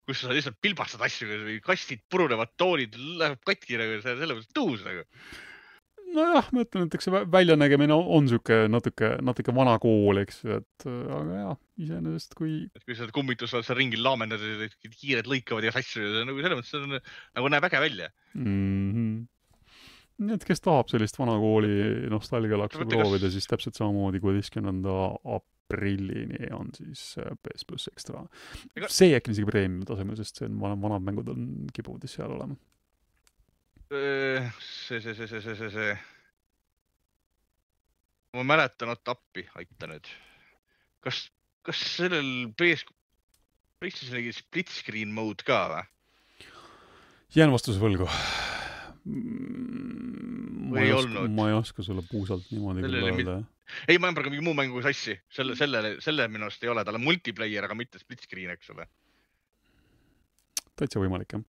kus sa lihtsalt pilbastad asju või kastid purunevad, toolid läheb katki nagu, selle mõttes tõus nagu. Nojah, ma ütlen, et eks see väljanägemine on, on siuke natuke, natuke vana kool, eks, et aga jah, iseenesest kui... Et kui sa kummitus oled seal ringil laamendad, kiired lõikavad ja asju, nagu selle mõttes on, nagu näeb äge välja. Mm-hmm. Nii et kes tahab sellist vana kooli nostalgialaksu proovida, kas... siis täpselt samamoodi kuueteistkümnenda aprillini on siis P S Plus Extra. Ega... See äkki isegi preemium tasemel, sest see on vanad, vanad mängud on kipuvad seal olema. See, see, see, see, see, see, see. Ma mäletan, oot appi, aita nüüd. Kas, kas sellel P S PlayStation split screen mode ka või? Jään vastuse võlgu. Ma ei, oska, ma ei oska sulle puusalt niimoodi küll öelda. Mit... Ei, ma olen praegu mingi muu mängu sassi. Selle, selle, selle minust ei ole. Tal on multiplayer, aga mitte split screen, eks ole. Täitsa võimalik, jah.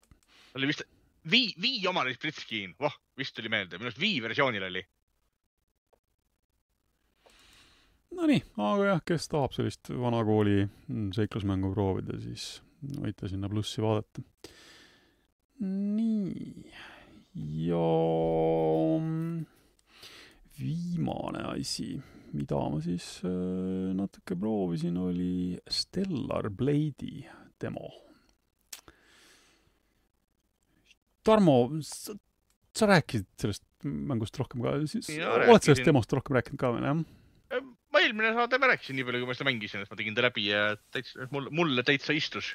Oli vist... Vii, Vii omal oli split screen. Voh, vist tuli meelde. Minust Vii versioonil oli. No nii, aga jah, kes tahab sellist vanakooli seiklusmängu proovida, siis võite sinna plussi vaadata. Nii. Ja viimane asi, mida ma siis natuke proovisin, oli Stellar Blade'i demo. Tarmo, sa, sa rääkisid sellest mängust rohkem ka, siis ja, oled rääkisin. Sellest demost rohkem rääkinud ka veel, jah? Ma eelmine saade ma rääkisin nii palju, kui ma seda mängisin, et ma tegin ta läbi ja täitsa, mulle, mulle täitsa istus.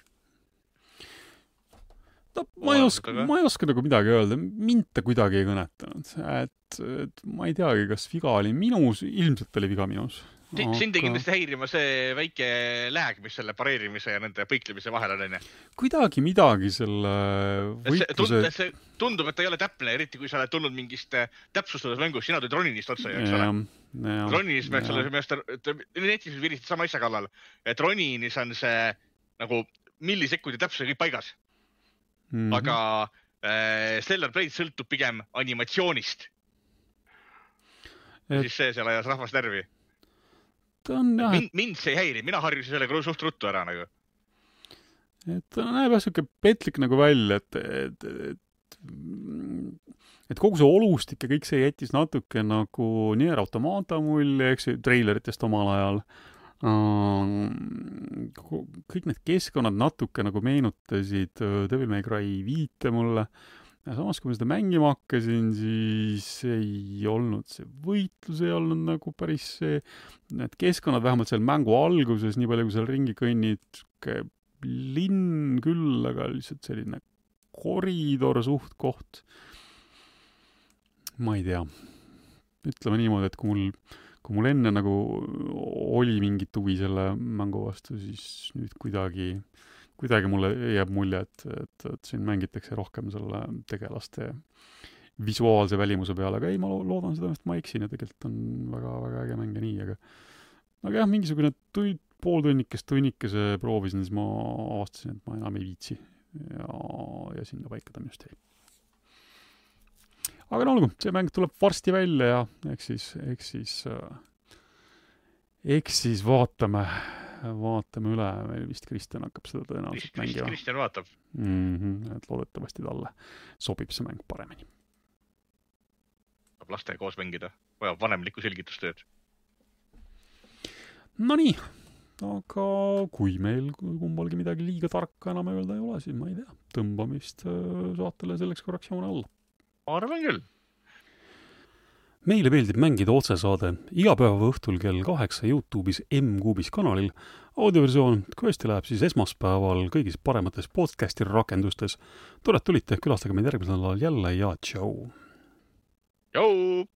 No, ma, ei oska, ma ei oska nagu midagi öelda, mind ta kuidagi ei kõnetanud, et, et ma ei teagi, kas viga oli minus, ilmselt oli viga minus. Aga... Sind ei kindlasti häirima see väike lääg, mis selle pareerimise ja nende põiklemise vahel on, enne. Kuidagi midagi selle võitluse... See, see tundub, et ta ei ole täpne, eriti kui sa oled tulnud mingist täpsustuses mängus, sina tulid Roninist otsa, eks ole. Roninist peaks olla see, netis virisid sama asja kallal, et Roninis on see nagu millisekundi täpsusega kõik paigas. Mm-hmm. Aga äh, Stellar Blade sõltub pigem animatsioonist. Et... Siis see seal ajas rahvast närvi. ta on jah... Mind, mind see ei häiri, mina harjusin sellega suht ruttu ära nagu. Et ta näeb jah siuke petlik nagu välja, et, et, et, et kogu see olustik ja kõik see jättis natuke nagu Nier Automata mulje, eks ju, treileritest omal ajal. Kõik need keskkonnad natuke nagu meenutasid Devil May Cry viite mulle. Ja samas, kui ma seda mängima hakkasin, siis ei olnud see võitlus, ei olnud nagu päris see, need keskkonnad vähemalt seal mängu alguses, nii palju kui seal ringi kõnnid, linn küll, aga lihtsalt selline koridor suht koht. Ma ei tea. Ütleme niimoodi, et kui mul, kui mul enne nagu oli mingit huvi selle mängu vastu, siis nüüd kuidagi, kuidagi mulle jääb mulje, et, et, et siin mängitakse rohkem selle tegelaste visuaalse välimuse peale, aga ei, ma loodan seda, et ma eksin ja tegelikult on väga, väga äge mänge nii, aga aga jah, mingisugune tuid, pool tunnikest tunnikese proovisin, siis ma avastasin, et ma enam ei viitsi ja, ja sinna paika ta minust jäi. Aga no olgu, see mäng tuleb varsti välja ja eks siis, eks siis, eks siis vaatame, vaatame üle, meil vist Kristjan hakkab seda tõenäoliselt Krist, mängima. Kristjan vaatab. Mm-hmm, et loodetavasti talle sobib see mäng paremini. Saab laste koos mängida, vajab vanemlikku selgitustööd. No nii, aga kui meil kumbalgi midagi liiga tarka enam öelda ei ole, siis ma ei tea, tõmbame vist saatele selleks korraks joone alla. Arvan küll. Meile meeldib mängida otsesaade iga päeva õhtul kell kaheksa YouTube'is M-Kuubis kanalil. Audioversioon kõesti läheb siis esmaspäeval kõigis paremates podcasti rakendustes. Tore, et tulite, külastage meid järgmisel nädalal jälle ja tšau! Tšau!